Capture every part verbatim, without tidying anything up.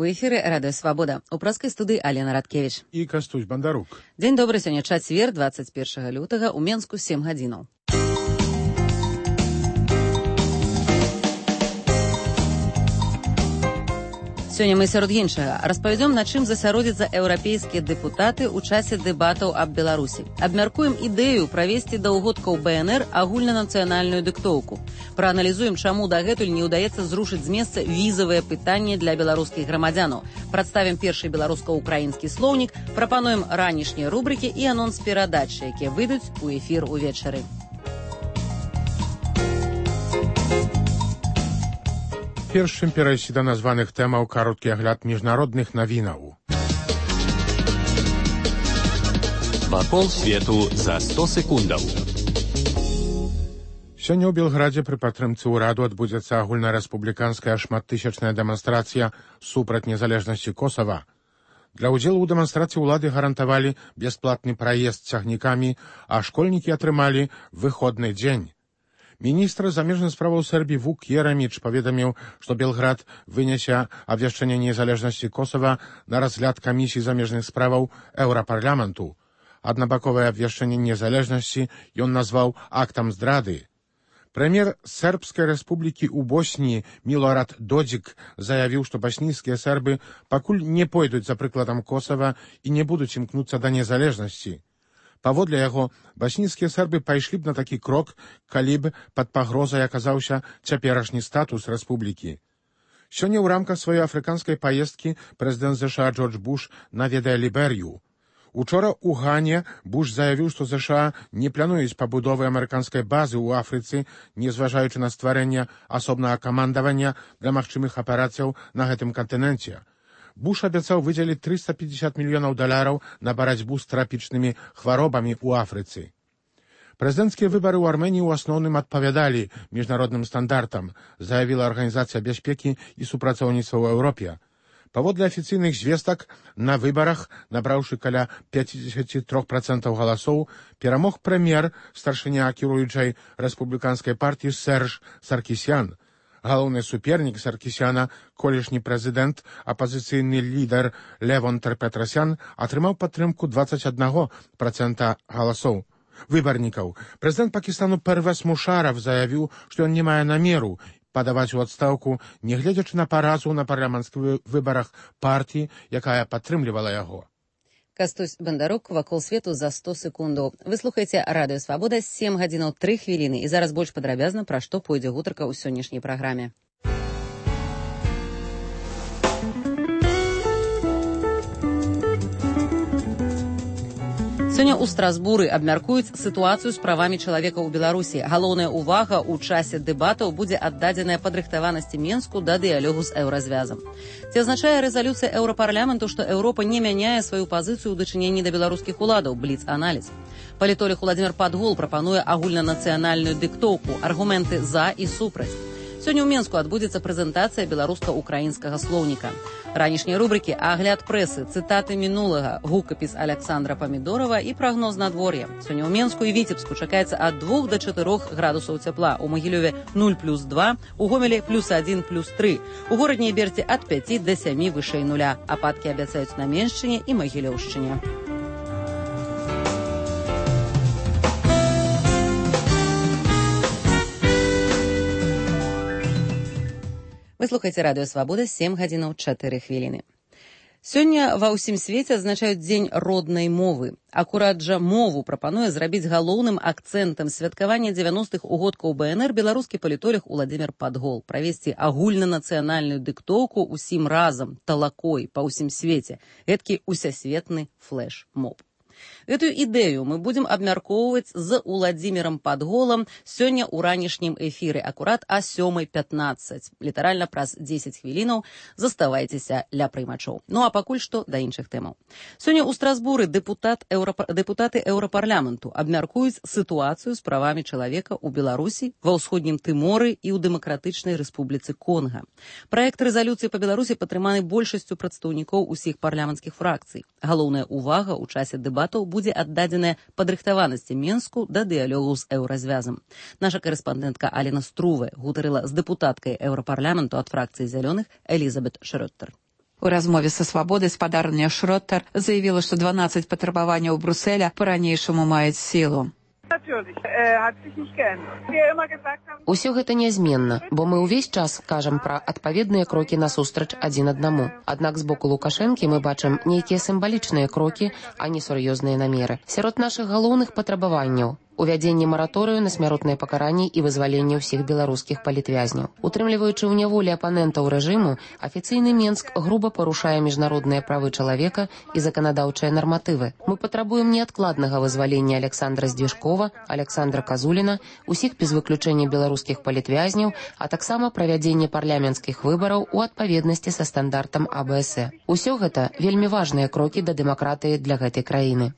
У эфіры Радыё Свабода. У праскай студыі Алена Радкевіч. І Кастусь Бандарук. Дзень добры, сёння чацвер, дваццаць першага лютага, у Менску сем гадзінаў. Сёння мы сярод іншага распавядзём, на чым засяродзяцца еўрапейскія дэпутаты ў часе дэбатаў аб Беларусі. Абмяркуем ідэю правесці да ўгодкаў бэ эн эр агульнанацыянальную дыктоўку. Прааналізуем, чаму дагэтуль не ўдаецца зрушыць з месца візавыя пытанні для беларускіх грамадзянаў. Прадставім першы беларуска-украінскі слоўнік, прапануем ранішнія рубрыкі і анонс перадач, якія выйдуць у эфір увечары. Першым перайсці да названых тэмаў кароткі агляд міжнародных навінаў. Вакол свету за сто секундаў. Сёння ў Белградзе пры падтрымцы ўраду адбудзецца агульнарэспубліканская шматтысячная дэманстрацыя супраць незалежнасці Косава. Для ўдзелу ў дэманстрацыі ўлады гарантавалі бясплатны праезд цягнікамі, а школьнікі атрымалі выходны дзень. Міністр замежных справаў Сербіі Вук Ераміч паведаміў, што Белград вынясе абвяшчэнне незалежнасці Косава на разгляд камісіі замежных справаў Еўрапарламенту. Аднабаковае абвяшчэнне незалежнасці ён назваў актам здрады. Прэм'ер Сербскай рэспублікі ў Босніі Милорад Додзік заявіў, што баснійскія сербы пакуль не пойдуць за прыкладам Косава і не будуць імкнуцца да незалежнасці. Паводле яго, баснійскія сербы пайшлі б на такі крок, калі б пад пагрозай аказаўся цяперашні статус рэспублікі. Сёння ў рамках сваёй афрыканскай паездкі прэзідэнт ЗША Джордж Буш наведае Ліберыю. Учора ў Гане Буш заявіў, што ЗША не плануюць пабудовы амерыканскай базы ў Афрыцы, незважаючы на стварэнне асобнага камандавання для магчымых аперацыяў на гэтым кантыненце. Буш абяцаў выдзеліць трыста пятьдесят мільёнаў даляраў на барацьбу з трапічнымі хваробамі ў Афрыцы. Прэзідэнцкія выбары ў Арменіі ў асноўным адпавядалі міжнародным стандартам, заявіла Арганізацыя бяспекі і супрацоўніцтва ў Еўропе. Паводле афіцыйных звестак, на выбарах, набраўшы каля пятьдесят три процента галасоў, перамог прэм'ер, старшыня кіруючай рэспубліканскай партыі Серж Саркісян. Галоўны супернік Саркісяна, колішні прэзідэнт, апазіцыйны лідар Левон Петрасян, атрымаў падтрымку двадцать один процент галасоў выбарнікаў. Прэзідэнт Пакістану Первез Мушарав заявіў, што ён не мае намеру падаваць у адстаўку, нягледзячы на паразу на парламенцкіх выбарах партыі, якая падтрымлівала яго. Кастусь Бандарук, вакол свету за сто секундаў. Вы слухаеце Радыё Свабода, сем гадзінаў тры хвіліны, і зараз больш падрабязна, пра што пойдзе гутарка ў сённяшняй праграме. Сёння ў Страсбуры абмяркуюць сітуацыю з правамі чалавека ў Беларусі. Галоўная ўвага ў часе дэбатаў будзе аддадзеная падрыхтаванасці Менску да дыялогу з еўразвязам. Ці азначае рэзалюцыя Еўрапарламенту, што Еўропа не мяняе сваю пазіцыю ў дачыненні да беларускіх уладаў? Бліц-аналіз. Палітолог Уладзімір Падгол прапануе агульнанацыянальную дыктоўку, аргументы за і супраць. Сёння ў Менску адбудзецца прэзентацыя беларуска-украінскага слоўніка. Ранішнія рубрыкі «Агляд прэсы», цытаты мінулага, гукапіс Аляксандра Памідорава і прагноз надвор'я. Сёння ў Менску і Віцебску чакаецца ад двух да чатырох градусаў цяпла. У Магілёве нуль плюс два, у Гомелі плюс адзін плюс тры. У горадняй Берці ад пяці да сямі вышэй нуля. Ападкі абяцаюць на Меншчыне і Магілёўшчыне. Вы слухаеце Радыё Свабода, сем гадзінаў чатыры хвіліны. Сёння ва ўсім свеце адзначаюць дзень роднай мовы. Акурат жа мову прапануе зрабіць галоўным акцэнтам святкавання дзевяностых угодкаў бэ эн эр беларускі палітолог Уладзімір Падгол. Правесці агульнанацыянальную дыктоўку ўсім разам, талакой, па ўсім свеце. Гэткі усесветны флэш-моб. Гэтую ідэю мы будзем абмяркоўваць з Уладзімірам Падголам сёння ў ранішнім эфіры, акурат а сёмай пятнаццаць. Літаральна праз дзесяць хвілінаў заставайцеся ля прыймачоў. Ну а пакуль што да іншых тэмаў. Сёння ў Страсбуры дэпутат Еўрапа... дэпутаты Еўрапарламенту абмяркуюць сітуацыю з правамі чалавека ў Беларусі, ва ўсходнім Тыморы і ў Дэмакратычнай Рэспубліцы Конга. Праект рэзалюцыі па Беларусі падтрыманы большасцю прадстаўнікоў усіх парламенцкіх фракцый. Галоўная ўвага ў часе дэбатаў будзе аддадзеная падрыхтаванасці Менску да дыялогу з еўразвязам. Наша карэспандэнтка Алена Струве гутарыла з дэпутаткай Еўрапарламенту ад фракцыі зялёных Элізабет Шрёттер. У размове са «Свабодай» спадарня Шроттер заявіла, што дванаццаць патрабаванняў Брюсселя па-ранейшаму маюць сілу. Усё гэта нязменна, бо мы ўвесь час кажам пра адпаведныя крокі насустрач адзін аднаму. Аднак з боку Лукашэнкі мы бачым нейкія сімвалічныя крокі, а не сур'ёзныя намеры. Сярод нашых галоўных патрабаванняў увядзенне мараторыю на смяротнае пакаранне і вызваленне ўсіх беларускіх палітвязняў. Утрымліваючы ў няволі апанентаў рэжыму, афіцыйны Менск груба парушае міжнародныя правы чалавека і заканадаўчыя нарматывы. Мы патрабуем неадкладнага вызвалення Александра Здвижкова, Александра Казуліна, усіх без выключэння беларускіх палітвязняў, а таксама правядзенне парламенцкіх выбараў у адпаведнасці са стандартам А Б С Э. Усё гэта вельмі важныя крокі да дэмакратыі для гэтай краіны.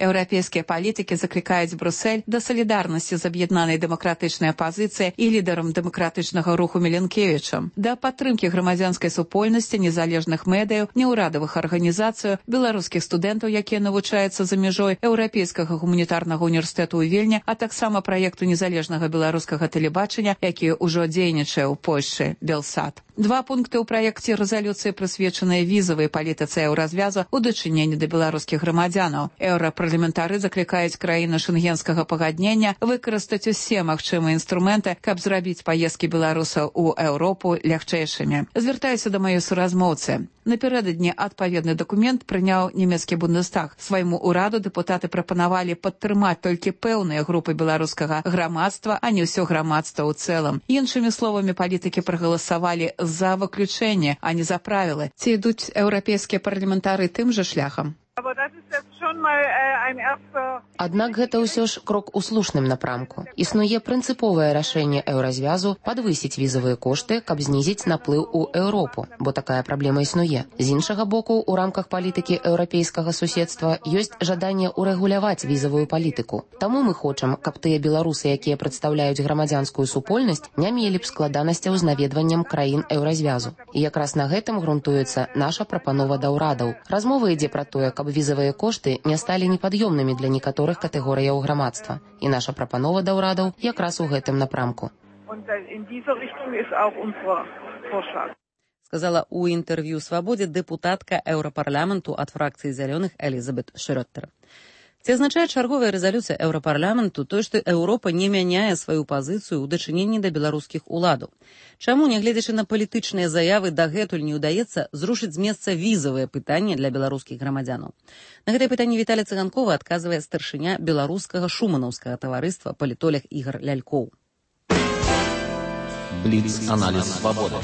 Еўрапейскія палітыкі заклікаюць Брюссель да салідарнасці з аб'яднанай дэмакратычнай апазіцыяй і лідарам дэмакратычнага руху Міленкевічам, да падтрымкі грамадзянскай супольнасці, незалежных медыяў, неўрадавых арганізацый, беларускіх студэнтаў, якія навучаюцца за мяжой Еўрапейскага гуманітарнага універсітэту ў Вільні, а таксама праекту незалежнага беларускага тэлебачання, які ўжо дзейнічае ў Польшчы, Белсат. Два пункты ў праекце рэзалюцыі прысвечаныя візавай палітыцы еўразвязу ў дачыненні да беларускіх грамадзянаў. Еўрапарламентары заклікаюць краіны шэнгенскага пагаднення выкарыстаць усе магчымыя інструменты, каб зрабіць паездкі беларусаў у Еўропу лягчэйшымі. Звяртаюся да маёй суразмоўцы. Напярэдадні адпаведны дакумент прыняў нямецкі Бундестаг. Свайму ўраду дэпутаты прапанавалі падтрымаць толькі пэўныя групы беларускага грамадства, а не ўсё грамадства ў цэлым. Іншымі словамі, палітыкі прагаласавалі за выключэнне, а не за правілы. Ці ідуць еўрапейскія парламентары тым жа шляхам? Аднак гэта ўсё ж крок у слушным напрамку. Існуе прынцыповае рашэнне еўразвязу падвысіць візавыя кошты, каб знізіць наплыў у Еўропу, бо такая праблема існуе. З іншага боку, у рамках палітыкі еўрапейскага суседства ёсць жаданне ўрэгуляваць візавую палітыку. Таму мы хочам, каб тыя беларусы, якія прадстаўляюць грамадзянскую супольнасць, не мелі б складанасцяў з наведваннем краін еўразвязу. І якраз на гэтым грунтуецца наша прапанова да ўрадаў. Размова ідзе пра тое, каб візавыя кошты не сталі непад'ёмнымі для некаторых катэгорыяў грамадства. І наша прапанова да ўрадаў якраз у гэтым напрамку. Сказала у інтэрв'ю «Свабодзе» дэпутатка еўрапарламенту ад фракцыі зялёных Элізабет Шрёттер. Ці азначае чарговая рэзалюцыя еўрапарламенту тое, што Еўропа не мяняе сваю пазіцыю ў дачыненні да беларускіх уладаў? Чаму, нягледзячы на палітычныя заявы, дагэтуль не ўдаецца зрушыць з месца візавае пытанне для беларускіх грамадзянаў? На гэтае пытанне Віталій Цыганкова адказвае старшыня беларускага шуманаўскага таварыства палітолог Ігар Лялькоў. Бліц-аналіз «Свабоды».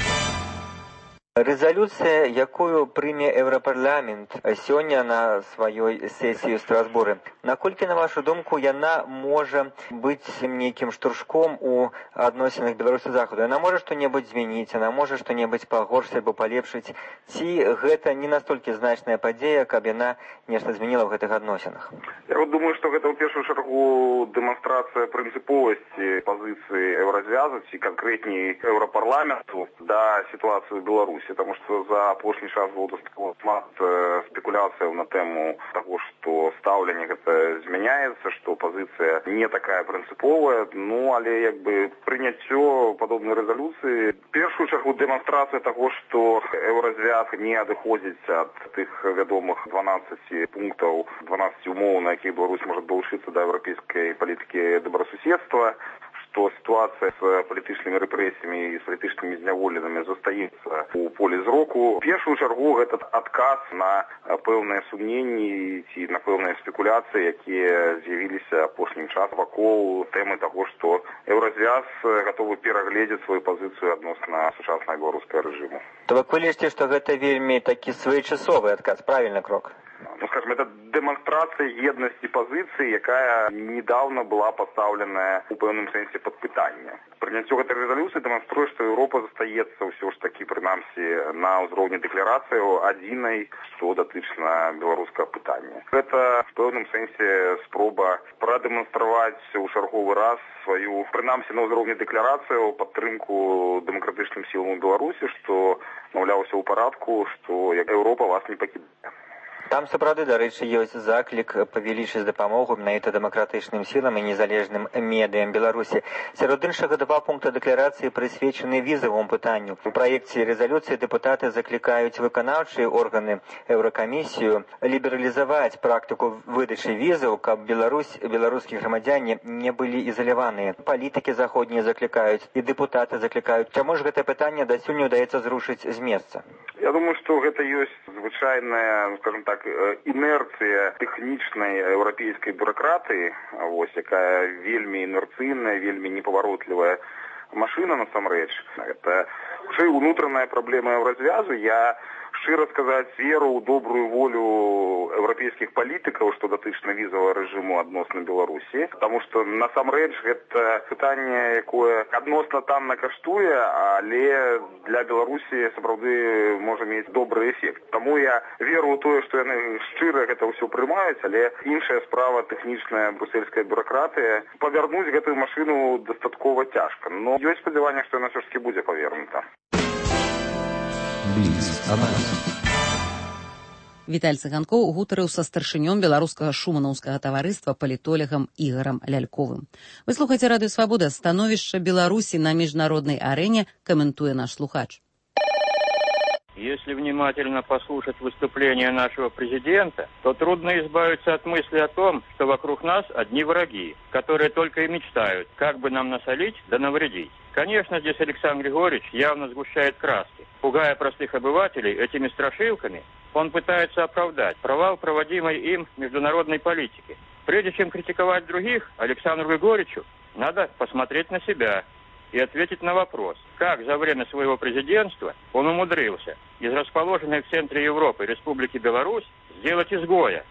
Рэзалюцыя, якую прыме Еўрапарламент сёння на сваёй сесіі ў Страсбуры, наколькі, на вашу думку, яна можа быць нейкім штуршком у адносінах Беларусі Захаду? Яна можа што-небудзь змяніць, яна можа што-небудзь пагоршыць або палепшыць? Ці гэта не настолькі значная падзея, каб яна нешта змяніла ў гэтых адносінах? Я вот думаю, што гэта ў першую чаргу дэманстрацыя прынцыповасці пазіцыі еўразвязу, ці канкрэтней Еўрапарламенту да сітуацыі ў Беларусі. Потому что за апошні час было дастаткова шмат спекуляцыяў на тэму таго, што стаўленне гэта змяняецца, што пазіцыя не такая прынцыповая. Ну, але як бы прыняццё падобнай рэзалюцыі першую чаргу дэманстрацыя таго, што еўразвяз не адыходзіць ад тых вядомых дванаццаці пунктаў, дванаццаці умоў, на якія Беларусь можа далучыцца да еўрапейскай палітыкі добрасуседства, што сітуацыя з палітычнымі рэпрэсіямі і з палітычнымі зняволенымі застаецца у полі зроку. У першую чаргу гэта адказ на пэўныя сумненні ці на пэўныя спекуляцыі, якія з'явіліся апошнім часам вакол тэмы таго, што еўразвяз гатовы перагледзець сваю пазіцыю адносна сучаснага беларускага рэжыму. То вы лічыце, што гэта вельмі такі своечасовы адказ, правільны крок? Ну, скажем, это демонстрация едности позиции, якая недавно была поставлена у пэўным сэнсе под пытанне. Прыняццё гэтай рэзалюцыі дэманструе, што Еўропа застаецца ўсё ж такі, прынамсі, на ўзроўні дэкларацыяў адзінай, што датычна беларускага пытання. Гэта в пэўным сэнсе спроба прадэманстраваць у чарговы раз сваю, прынамсі, на ўзроўні дэкларацыяў падтрымку дэмакратычным сілам у Беларусі, што, маўляў, усё ў парадку, што Еўропа вас не пакідае. Там, сапраўды, дарэчы, ёсць заклік павялічыць дапамогу менавіта дэмакратычным сілам і незалежным медыям Беларусі. Сярод іншага два пункта дэкларацыі прысвечаны візавому пытанню. У праекце рэзалюцыі дэпутаты заклікаюць выканаўчыя органы Еўракамісію лібералізаваць практыку выдачы візаў, каб Беларусь, беларускія грамадзяне не былі ізаляваныя. Палітыкі заходнія заклікаюць і дэпутаты заклікаюць. Чаму ж гэтае пытанне дасюль не ўдаецца зрушыць з месца? Я думаю, што гэта ёсць звычайная, скажем так, інерцыя тэхнічнай еўрапейскай бюракратыі, вось, якая вельмі інерцыйная, вельмі непаваротлівая машына насамрэч. Гэта хутчэй унутраная праблема еўразвязу. Я шчыра сказаць, веру ў добрую волю еўрапейскіх палітыкаў, што датычна візавага рэжыму адносна Беларусі, таму што насамрэч гэта пытанне, якое адносна танна каштуе, але для Беларусі сапраўды можа мець добры эфект. Таму я веру ў тое, што яны шчыра гэта ўсё прымаюць, але іншая справа тэхнічная брусельская бюракратыя. Павярнуць гэтую машыну дастаткова цяжка, но ёсць спадзяванне, што яна ўсё ж такі будзе павернута. Віталь Цыганкоў гутарыў са старшынём беларускага шуманаўскага таварыства палітолегам Ігорам Ляльковым. Вы слухаеце радыё Свабода. Становішча Беларусі на міжнароднай арэне каментуе наш слухач. Если внимательно послушать выступление нашего президента, то трудно избавиться от мысли о том, что вокруг нас одни враги, которые только и мечтают, как бы нам насолить да навредить. Конечно, здесь Александр Григорьевич явно сгущает краски. Пугая простых обывателей этими страшилками, он пытается оправдать провал проводимой им международной политики. Прежде чем критиковать других, Александру Григорьевичу надо посмотреть на себя и ответить на вопрос, как за время своего президентства он умудрился из расположенной в центре Европы Республики Беларусь сделать изгоя.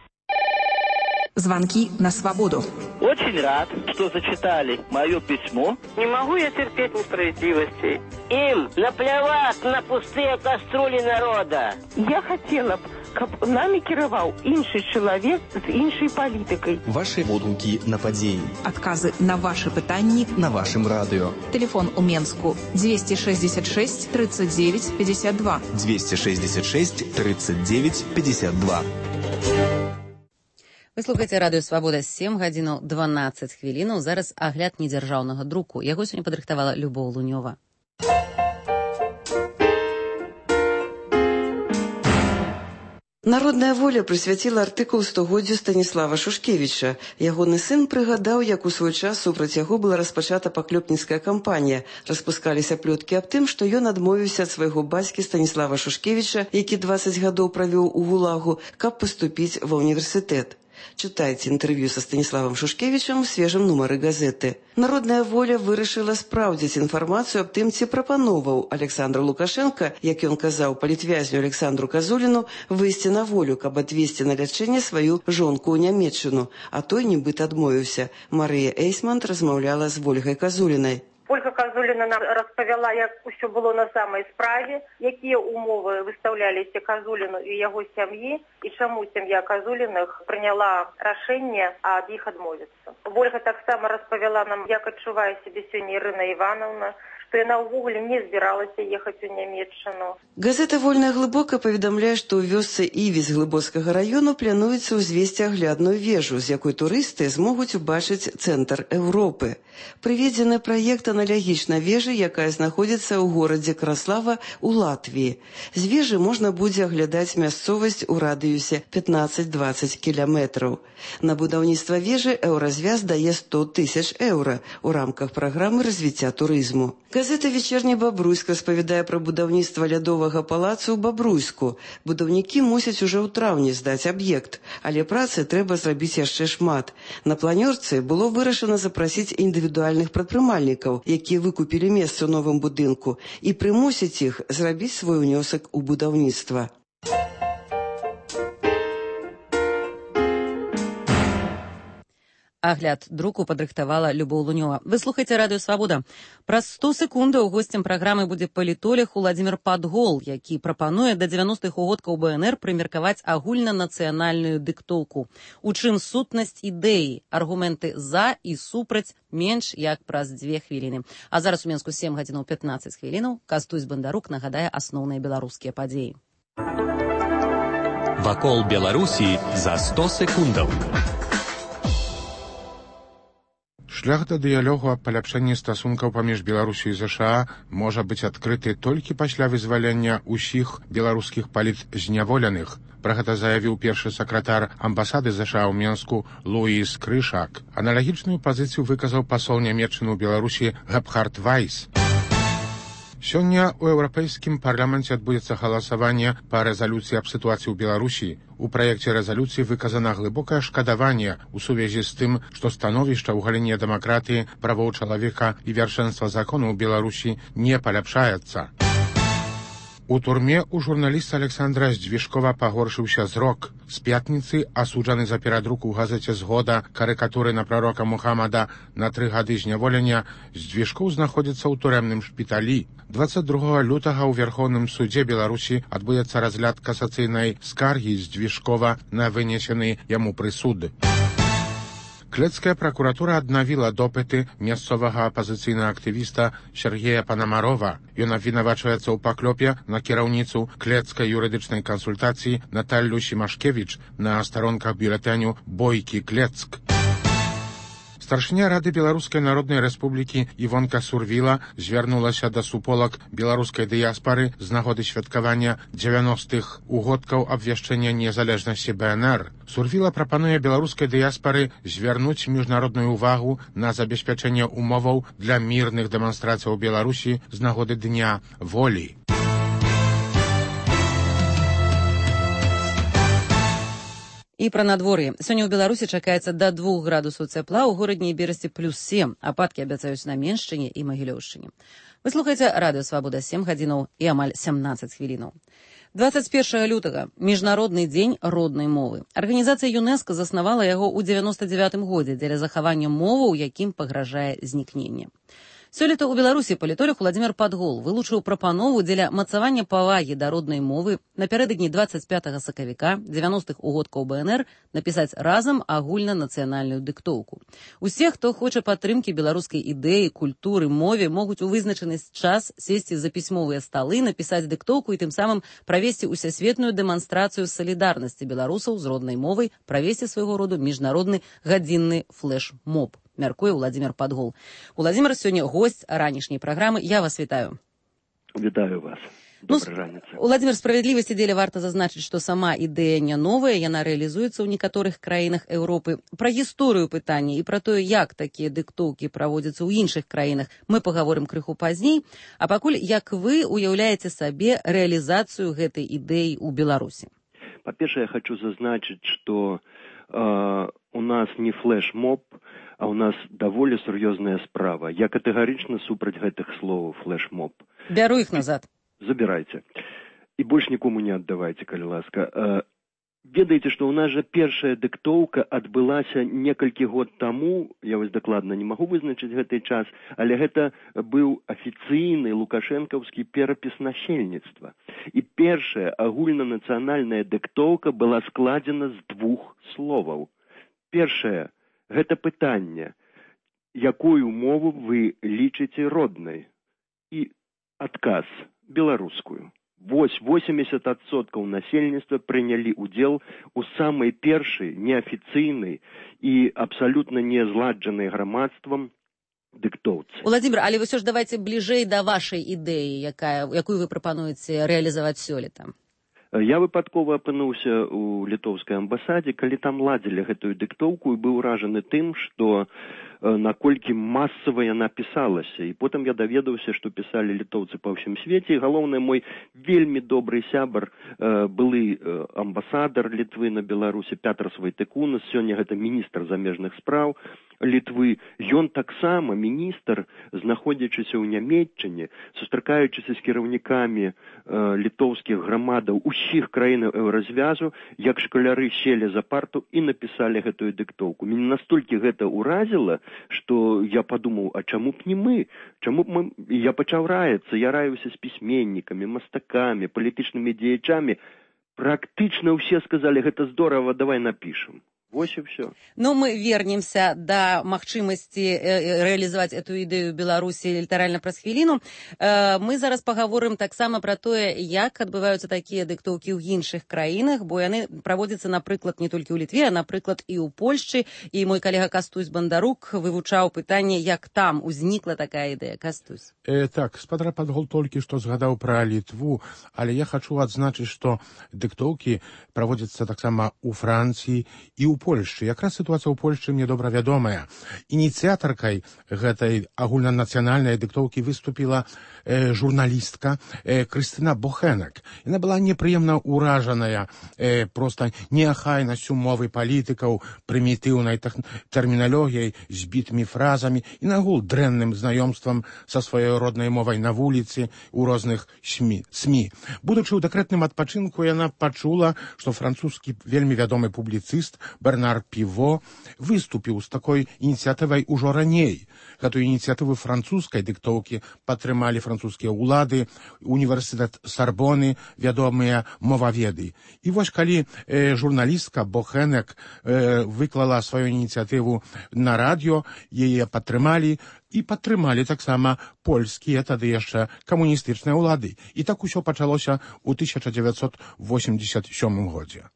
Звонки на свободу. Очень рад, что зачитали мое письмо. Не могу я терпеть несправедливости. Им наплевать на пустые кастрюли народа. Я хотела б, каб нами кіраваў іншы чалавек з іншай палітыкай. Ваши водгукі на падзеі. Адказы на ваши пытанні на вашым радыё. Телефон у Менску двести шестьдесят шесть тридцать девять пятьдесят два. двести шестьдесят шесть тридцать девять пятьдесят два. Вы слухаеце радыё Свабода. Сем гадзінаў дванаццаць хвілінаў. Зараз агляд недзяржаўнага друку. Яго сёння падрыхтавала Любоў Лунёва. Народная воля прысвяціла артыкул стагоддзю Станіслава Шушкевіча. Ягоны сын прыгадаў, як у свой час супраць яго была распачата паклёпніцкая кампанія. Распускаліся плёткі аб тым, што ён адмовіўся ад свайго бацькі Станіслава Шушкевіча, які дваццаць гадоў правёў у ГУЛАГу, каб паступіць ва ўніверсітэт. Чытайце інтэрв'ю са Станіславам Шушкевічам у свежым нумары газеты. Народная воля вырашыла спраўдзіць інфармацыю аб тым, ці прапановаў Александру Лукашенка, як ён казаў палітвязню Александру Казуліну, выйсці на волю, каб адвезці на лячэнне сваю жонку ў Нямецчыну, а той нібыта адмовіўся. Марыя Эйсмант размаўляла з Ольгай Казулінай. Ольга Казуліна нам распавяла, як усё было на самай справе, якія умовы выстаўляліся Казуліну і яго сям'і, і чаму сям'я Казуліных прыняла рашэнне ад іх адмовіцца. Ольга таксама распавяла нам, як адчувае сябе сёння Ірына Івановна, што яна ўвогуле не збіралася ехаць у Нямецчыну. Газета «Вольная глыбока» паведамляе, што ў вёсцы Іві з Глыбоцкага раёну плануецца ўзвесці аглядную вежу, з якой турысты змогуць убачыць цэнтр Еўропы. Прыведзены праект аналагічна вежы, якая знаходзіцца ў горадзе Краслава ў Латвіі. З вежы можна будзе аглядаць мясцовасць у радыюсе пятнаццаць-дваццаць кіламетраў. На будаўніцтва вежы Еўразвяз дае сто тысяч еўра ў рамках праграмы развіцця турызму. Газета «Вечерний Бобруйск» распавядае пра будаўніцтва лядовага палацу ў Бобруйску. Будаўнікі мусяць ужо ў траўні здаць аб'ект, але працы трэба зрабіць яшчэ шмат. На планёрцы было вырашана запрасіць індывідуальных прадпрымальнікаў, якія выкупілі месца ў новым будынку, і прымусіць іх зрабіць свой унёсак у будаўніцтва. Агляд друку падрыхтавала Любоў Лунёва. Вы слухаеце радыё Свабода. Праз сто секундаў госцем праграмы будзе палітолог Уладзімір Падгол, які прапануе да дзевяностых угодкаў БНР прымеркаваць агульнанацыянальную дыктоўку. У чым сутнасць ідэі, аргументы за і супраць менш як праз дзве хвіліны. А зараз у Менску сем гадзінаў пятнаццаць хвілінаў. Кастусь Бандарук нагадае асноўныя беларускія падзеі. Вакол Беларусі за сто секундаў. Шлях да дыялогу аб паляпшэнні стасункаў паміж Беларусю і ЗША можа быць адкрыты толькі пасля вызвалення ўсіх беларускіх палітзняволеных. Пра гэта заявіў першы сакратар амбасады ЗША ў Менску Луіс Крышак. Аналагічную пазіцыю выказаў пасол нямецчыны ў Беларусі Гебхард Вайс. Сёння ў Еўрапейскім парламенце адбудзецца галасаванне па рэзалюцыі аб сітуацыі ў Беларусі. У праекце рэзалюцыі выказана глыбокае шкадаванне ў сувязі з тым, што становішча ў галіне дэмакратыі, правоў чалавека і вяршэнства закону ў Беларусі не паляпшаецца. У турме у журналіста Александра Здвижкова пагоршыўся зрок. З пятніцы асуджаны за перадрук у газеце «Згода» карыкатуры на прарока Мухаммада на тры гады зняволення, Здвижков знаходзіцца ў турэмным шпіталі. дваццаць другога лютага ў Верхоўным судзе Беларусі адбудзецца разгляд касацыйнай скаргі Здвижкова на вынесены яму прысуд. Клецкая пракуратура аднавіла допыты мясцовага апазіцыйнага актывіста Сергея Панамарова. Ён абвінавачваецца ў паклёпе на кіраўніцу клецкай юрыдычнай кансультацыі Наталлю Сімашкевіч на старонках бюлетэню «Бойкі Клецк». Старшыня Рады Беларускай Народнай Рэспублікі Івонка Сурвіла звярнулася да суполак беларускай дыяспары з нагоды святкавання дзевяностых угодкаў абвяшчэння незалежнасці Бэ Эн Эр. Сурвіла прапануе беларускай дыяспары звярнуць міжнародную ўвагу на забеспячэнне умоваў для мірных дэманстрацыяў у Беларусі з нагоды Дня волі. І пра надвор'е. Сёння ў Беларусі чакаецца да двух градусаў цяпла, у горадні і Берасці плюс сем. Ападкі абяцаюць на Меншчыне і Магілёўшчыне. Вы слухаеце радыё «Свабода» сем гадзінаў і амаль сямнаццаць хвілінаў. дваццаць першага лютага – Міжнародны дзень роднай мовы. Арганізацыя ЮНЕСКО заснавала яго ў дзевяноста дзевятым годзе дзеля захавання мовы, у якім пагражае знікненне. Сёлета ў Беларусі палітолог Уладзімір Падгол вылучыў прапанову дзеля мацавання павагі да роднай мовы напярэдадні дваццаць пятага сакавіка дзевяностых угодкаў Бэ Эн Эр напісаць разам агульнанацыянальную дыктоўку. Усе, хто хоча падтрымкі беларускай ідэі, культуры, мове, могуць у вызначаны час сесці за пісьмовыя сталы, напісаць дыктоўку і тым самым правесці усесветную дэманстрацыю салідарнасці беларусаў з роднай мовай, правесці свайго роду міжнародны гадзінны флэш-моб. Мяркуе Уладзімір Падгол. Уладзімір сёння госць ранішняй праграмы. Я вас вітаю. Вітаю вас. Добрай раніцы. Уладзімір, справядлівасці дзеля варта зазначыць, што сама ідэя не новая, яна рэалізуецца ў некаторых краінах Еўропы. Пра гісторыю пытання і пра тое, як такія дыктоўкі праводзяцца ў іншых краінах, мы пагаворым крыху пазней. А пакуль, як вы уяўляеце сабе рэалізацыю гэтай ідэі ў Беларусі? Па-першае, я хочу зазначыць, што э, у нас не флэш-моб, а у нас даволі сур'ёзная справа. Я катэгарычна супраць гэтых словаў флэш-моб. Бяру іх назад. Забірайце. І больш нікому не аддавайце, калі ласка. Э, ведаеце, што ў нас жа першая дыктоўка адбылася некалькі год таму, я вось дакладна не магу вызначыць гэты час, але гэта быў афіцыйны лукашэнкаўскі перапіс насельніцтва. І першая агульнанацыянальная дыктоўка была складзена з двух словаў. Першая – гэта пытанне, якую мову вы лічыце роднай? І адказ – беларускую. Вось восемьдесят адсоткаў насельніцтва прынялі ўдзел у самай першай неафіцыйнай і абсалютна не зладжанай грамадствам дыктоўцы. Уладзімір, але вы ўсё ж давайце бліжэй да вашай ідэі, якая, якую вы прапануеце рэалізаваць сёлета. Я выпадкова апынуўся ў літоўскай амбасадзе, калі там ладзілі гэтую дыктоўку і быў уражаны тым, што наколькі масава яна пісалася. І потым я даведаўся, што пісалі літоўцы па ўсім свеце. І галоўны мой вельмі добры сябар, былы амбасадар Літвы на Беларусі Пятр Свайтыкунас, сёння гэта міністр замежных спраў Літвы. Ён таксама міністр, знаходзячыся ў Нямецчыне, сустракаючыся з кіраўнікамі літоўскіх грамадаў усіх краінаў еўразвязу, як шкаляры селі за парту і напісалі гэтую дыктоўку. Мяне настолькі гэта ўразіла, што я падумаў, а чаму б не мы? Чаму б мы? І я пачаў раяцца, я раіўся з пісьменнікамі, мастакамі, палітычнымі дзеячамі. Практычна ўсе сказалі, гэта здорава, давай напішам. Вось и все. Но мы вернемся до магчымасці реализовать эту идею Беларуси літаральна праз хвіліну. Мы зараз паговорым таксама про тое, як адбываюцца такія дыктоўкі ў іншых краінах, бо яны праводзяцца, напрыклад, не толькі ў Літве, а, напрыклад, і ў Польшчы. І мой калега Кастусь Бандарук вывучаў пытанне, як там узнікла такая ідэя. Кастусь. Э, так, спадра Падгол толькі што згадаў пра Літву, але я хачу адзначыць, што дыктоўкі праводзяцца таксама ў Францыі і ў Польшчы. Якраз сітуацыя ў Польшчы мне добра вядомая. Ініцыятаркай гэтай агульнанацыянальнай дыктоўкі выступіла э, журналістка э, Крыстына Бохенек. Яна была непрыемна ўражаная э, проста неахайнасцю мовы палітыкаў, прымітыўнай тэрміналогіяй, збітымі фразамі і нагул дрэнным знаёмствам са сваёй роднай мовай на вуліцы ў розных СМІ. Будучы ў дэкрэтным адпачынку, яна пачула, што французскі вельмі вядомы публіцыст Бернар Піво выступіў з такой ініцыятывай ужо раней. Гэтую ініцыятыву французскай дыктоўкі падтрымалі французскія ўлады, універсітэт Сарбоны, вядомыя моваведы. І вось калі э, журналістка Бохенек э, выклала сваю ініцыятыву на радыё, яе падтрымалі, і падтрымалі таксама польскія тады яшчэ камуністычныя ўлады. І так усё пачалося ў тысяча дзевяцьсот восемьдесят сёмым годзе.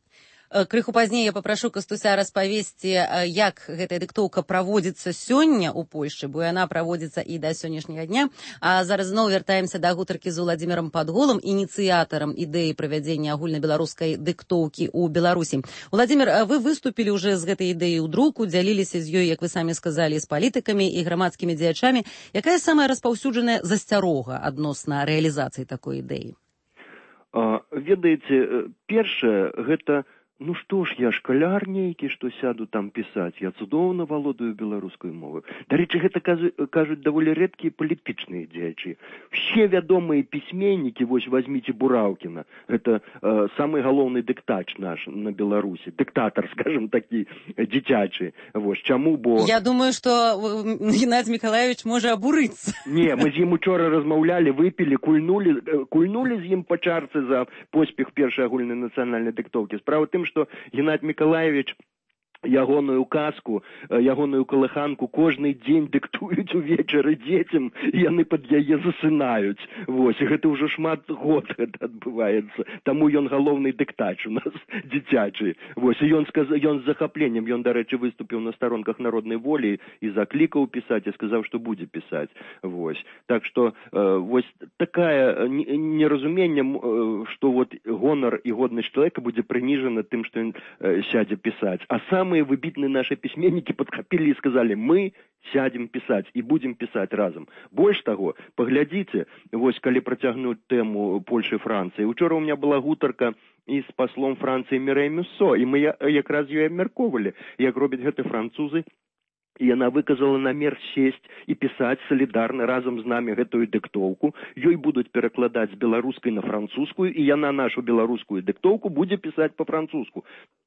Крыху пазней я папрашу Кастуся распавесці, як гэтая дыктоўка праводзіцца сёння ў Польшчы, бо яна праводзіцца і да сённяшняга дня. А зараз зноў вяртаемся да гутаркі з Уладзімірам Падголам, ініцыятарам ідэі правядзення агульнабеларускай дыктоўкі ў Беларусі. Уладзімір, вы выступілі ўжо з гэтай ідэяй у друку, дзяліліся з ёй, як вы самі сказалі, з палітыкамі і грамадскімі дзеячамі. Якая самая распаўсюджаная засцярога адносна рэалізацыі такой ідэі? А, ведаеце, першае, гэта ну што ж, я шкаляр нейкі, што сяду там пісаць, я цудоўна валодаю беларускай мовай. Дарэчы, гэта кажуць даволі рэдкія палітычныя дзеячы. Все вядомыя пісьменнікі, вось возьміце Бураўкіна, гэта э, самы галоўны дыктач наш на Беларусі, дыктатар, скажем, такі дзіцячы. Вось чаму, бо... Я думаю, што Геннадзій Мікалаевич можа абурыцца. Не, мы з ім учора размаўлялі, выпілі, кульнулі, кульнулі з ім па чарцы за поспех першай агульнай нацыянальнай дыктоўкі. Справа тым, што Геннадзій Мікалаевич ягоную казку, ягоную калыханку кожны дзень дыктуюць увечары дзецям, і яны пад яе засынаюць. Вось, і гэта ўжо шмат год гэта адбываецца. Таму ён галоўны дыктач у нас дзіцячы. Вось, і ён сказаў, ён з захапленнем, ён, дарэчы, выступіў на старонках Народнай волі і заклікаў пісаць, і сказаў, што будзе пісаць. Вось. Так што, э, вось такая неразуменне, э, што вот гонар і годнасць чалавека будзе прыніжана тым, што ён э, сядзе пісаць. А сам самые выбитные наши письменники подхопили и сказали, мы сядем писать и будем писать разом. Больше того, поглядите, вось, калі протягнуть тему Польши и Франции. Учора у меня была гутарка и с послом Франции Мирей Мюссо, и мы якраз ее абмяркоўвалі, як робяць гэты французы. І яна выказала намер сесть і пісаць салідарна разам з намі гэтую дыктоўку. Ёй будуць перакладаць з беларускай на французскую, і яна нашу беларускую дыктоўку будзе пісаць па-французску.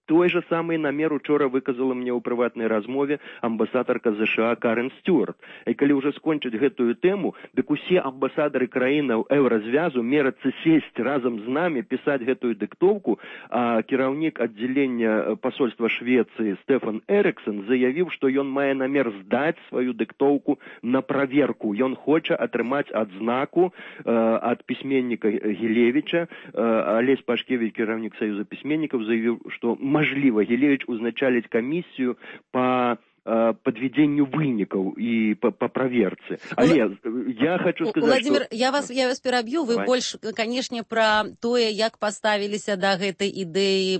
Той же самый намер учора выказала мне ў прыватнай размове амбасадарка ЗША Карен Стюарт. І калі ўжо скончыць гэтую тэму, дык усе амбасадары краінаў еўразвязу мерацца сесть разам з намі пісаць гэтую дыктоўку, а кіраўнік аддзялення пасольства Швецыі Стефан Эриксон заявіў, што ён мае намер здаць сваю дыктоўку на праверку. Ён хоча атрымаць адзнаку э, ад пісьменніка Гілевіча. Э, Алесь Пашкевіч, кіраўнік Саюза пісьменнікаў, заявіў, што мажліва Гілевіч узначаліць камісію па подведению вынікаў и по, по проверце. Але я хочу сказать, Владимир, что... я вас, я вас перабью. Вы Давай. больше, конечно, про тое, як поставіліся да гэтай ідэі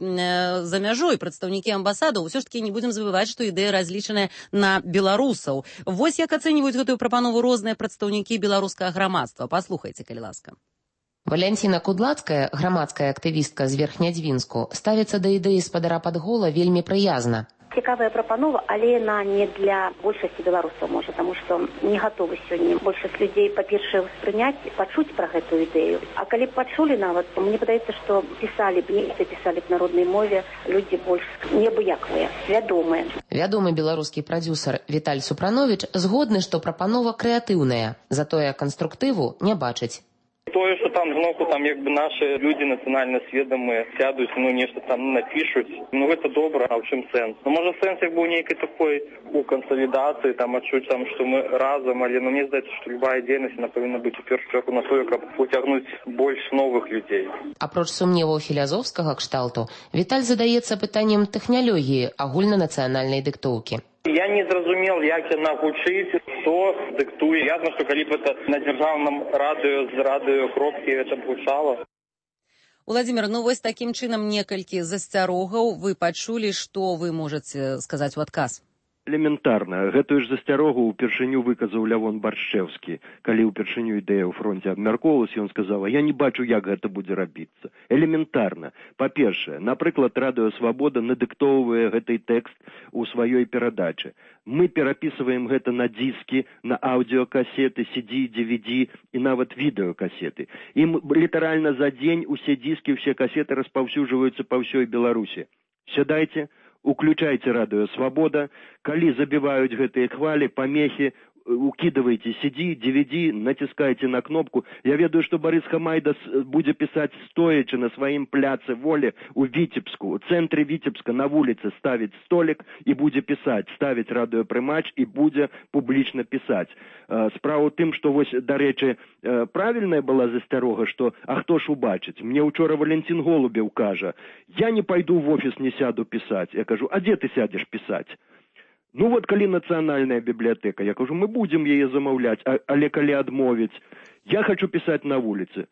за мяжой прадстаўнікі амбасадаў. Усё ж таки не будем забывать, что ідэя разлічаная на беларусаў. Вось як ацэньваюць гэтую прапанову розныя прадстаўнікі беларускага грамадства. Паслухайце, калі ласка. Валянціна Кудлацкая, грамадская актывістка з Верхнядзвінску, ставіцца да ідэі спадара Падгола вельмі прыязна. Цікавая прапанова, але яна не для большасці беларусаў, можа, таму што не гатовы сёння большасць людзей, па-першае, ўспрыняць, пачуць пра гэтую ідэю. А калі б пачулі нават, то мне падаецца, што пісалі б нешта, пісалі б народнай мове людзі больш неабыякавыя, свядомыя. Вядомы беларускі прадзюсар Віталь Супрановіч згодны, што прапанова крэатыўная, затое канструктыву не бачыць. Тое, што там зноку там як бы нашы людзі нацыянальна сведамыя сядуць, ну нешта там напішуць, ну гэта добра, а ў чым сэнс? Ну можа сэнс як бы ў нейкай такой у кансалідацыі, там адчуць там, што мы разам, але ну мне здаецца, што любая дзейнасць она павінна быць у першую чаргу на тое, каб уцягнуць больш новых людзей. Апроч сумневаў філязофскага кшталту, Віталь задаецца пытаннем тэхналогіі агульнанацыянальнай дыктоўкі. Я не зразумел, як яна гучыць, хто дыктуе. Ясна, што калі б это на дзяржаўным радыё з радыёкропкі это б гучала. Уладзімір, ну вось такім чынам некалькі засцярогаў вы пачулі, што вы можаце сказаць у адказ? Элементарна. Гэтую ж засцярогу ўпершыню выказаў Лявон Баршчэўскі. Калі ўпершыню ідэя ў фронце абмяркоўвалася, ён сказаў, я не бачу, як гэта будзе рабіцца. Элементарна. Па-першае, напрыклад, Радыё Свабода надыктоўвае гэты тэкст у сваёй перадачы. Мы перапісваем гэта на дыскі, на аўдыёкасеты, си ди, ди ви ди і нават відэакасеты. Ім літаральна за дзень усе дыскі, усе касеты распаўсюджваюцца па ўсёй Беларусі. Сядайце, уключайте Радыё Свабода, калі забіваюць гэтыя хвалі, памехі, укидывайте си ди, ди ви ди, натискайте на кнопку. Я ведаю, что Борис Хамайда будет писать стоячи на своем пляце Волі у Витебску, у центре Витебска на улице ставить столик и будет писать, ставить радиопрымач и будет публично писать. Справа тым, что вось, до речи, правильная была засцярога, что а хто ж убачить? Мне учора Валентин Голубев кажа, я не пойду в офис, не сяду писать. Я кажу, а где ты сядешь писать? Ну вот, калі нацыянальная бібліятэка, я кажу, мы будем яе замаўляць, а, але калі адмовіць, я хочу писать на улице.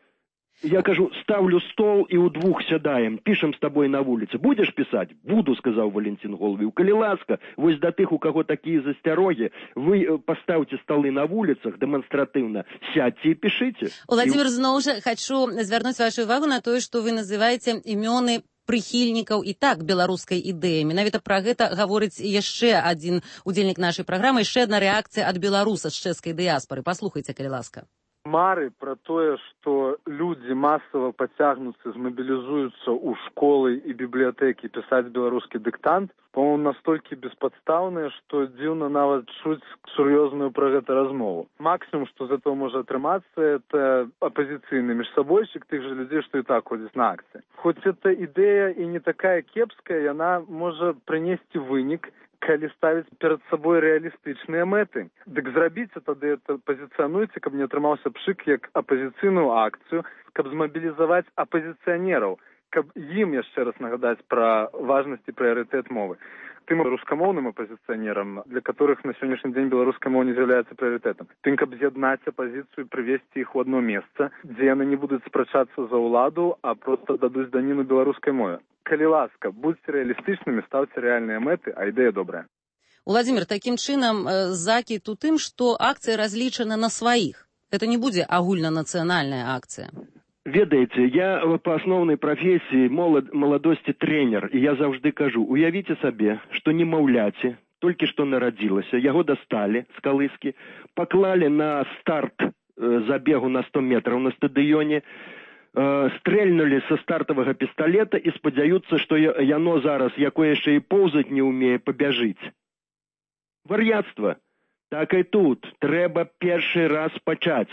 Я кажу, ставлю стол и у двух сядаем, пишем с тобой на улице. Будешь писать? Буду, сказал Валентин Голубев. Калі ласка, вось да тых, у кого такие засцярогі, вы поставьте столы на улицах демонстративно, сядьте и пишите. Владимир, зноў жа хочу звярнуць вашу увагу на тое, што вы называеце імёны прыхільнікаў і так беларускай ідэі. Менавіта пра гэта гаворыць яшчэ адзін удзельнік нашай праграмы, яшчэ адна рэакцыя ад беларуса з чэшскай дыяспары. Паслухайце, калі ласка. Мары пра тое, што людзі масава пацягнуцца, змабілізуюцца ў школы і бібліятэкі пісаць беларускі дыктант, по-моему, настолькі беспадстаўныя, што дзіўна нават чуць сур'ёзную пра гэта размову. Максімум, што з этого можа атрымацца, это апазіцыйны міжсабойчык тых жа людзей, што і так ходзяць на акцыі. Хоць эта ідэя і не такая кепская, яна можа прынесці вынік, калі ставіць перад сабой рэалістычныя мэты. Дык зрабіце тады это, пазіцыянуйце, каб не атрымаўся пшык як апазіцыйную акцыю, каб змабілізаваць апазіцыянераў, каб ім яшчэ раз нагадаць пра важнасць і прыярытэт мовы. Тым рускамоўным апазіцыянерам, для которых на сённяшні дзень беларуская мова не з'яўляецца прыярытэтам. Тым, каб з'яднаць апазіцыю і прывесці іх у адно месца, дзе яны не будуць спрачацца за ўладу, а проста дадуць даніну беларускай мове. Калі ласка, будьце рэалістычнымі, ставце рэальныя мэты, а ідэя добрая. Владимир, такім чынам закід у тым, што акцыя разлічана на сваіх. Это не будзе агульнанацыянальная акцыя. Ведаеце, я па асноўнай прафесіі молад, маладосці трэнер, і я заўжды кажу, уявіце сабе, што немаўляце, толькі што нарадзілася, яго дасталі з калыскі, паклалі на старт э, забегу на сто метраў на стадыёне, э, стрэльнулі са стартавага пісталета і спадзяюцца, што яно зараз, якое яшчэ і поўзаць не ўмее, пабяжыць. Вар'яцтва. Так і тут. Трэба першы раз пачаць.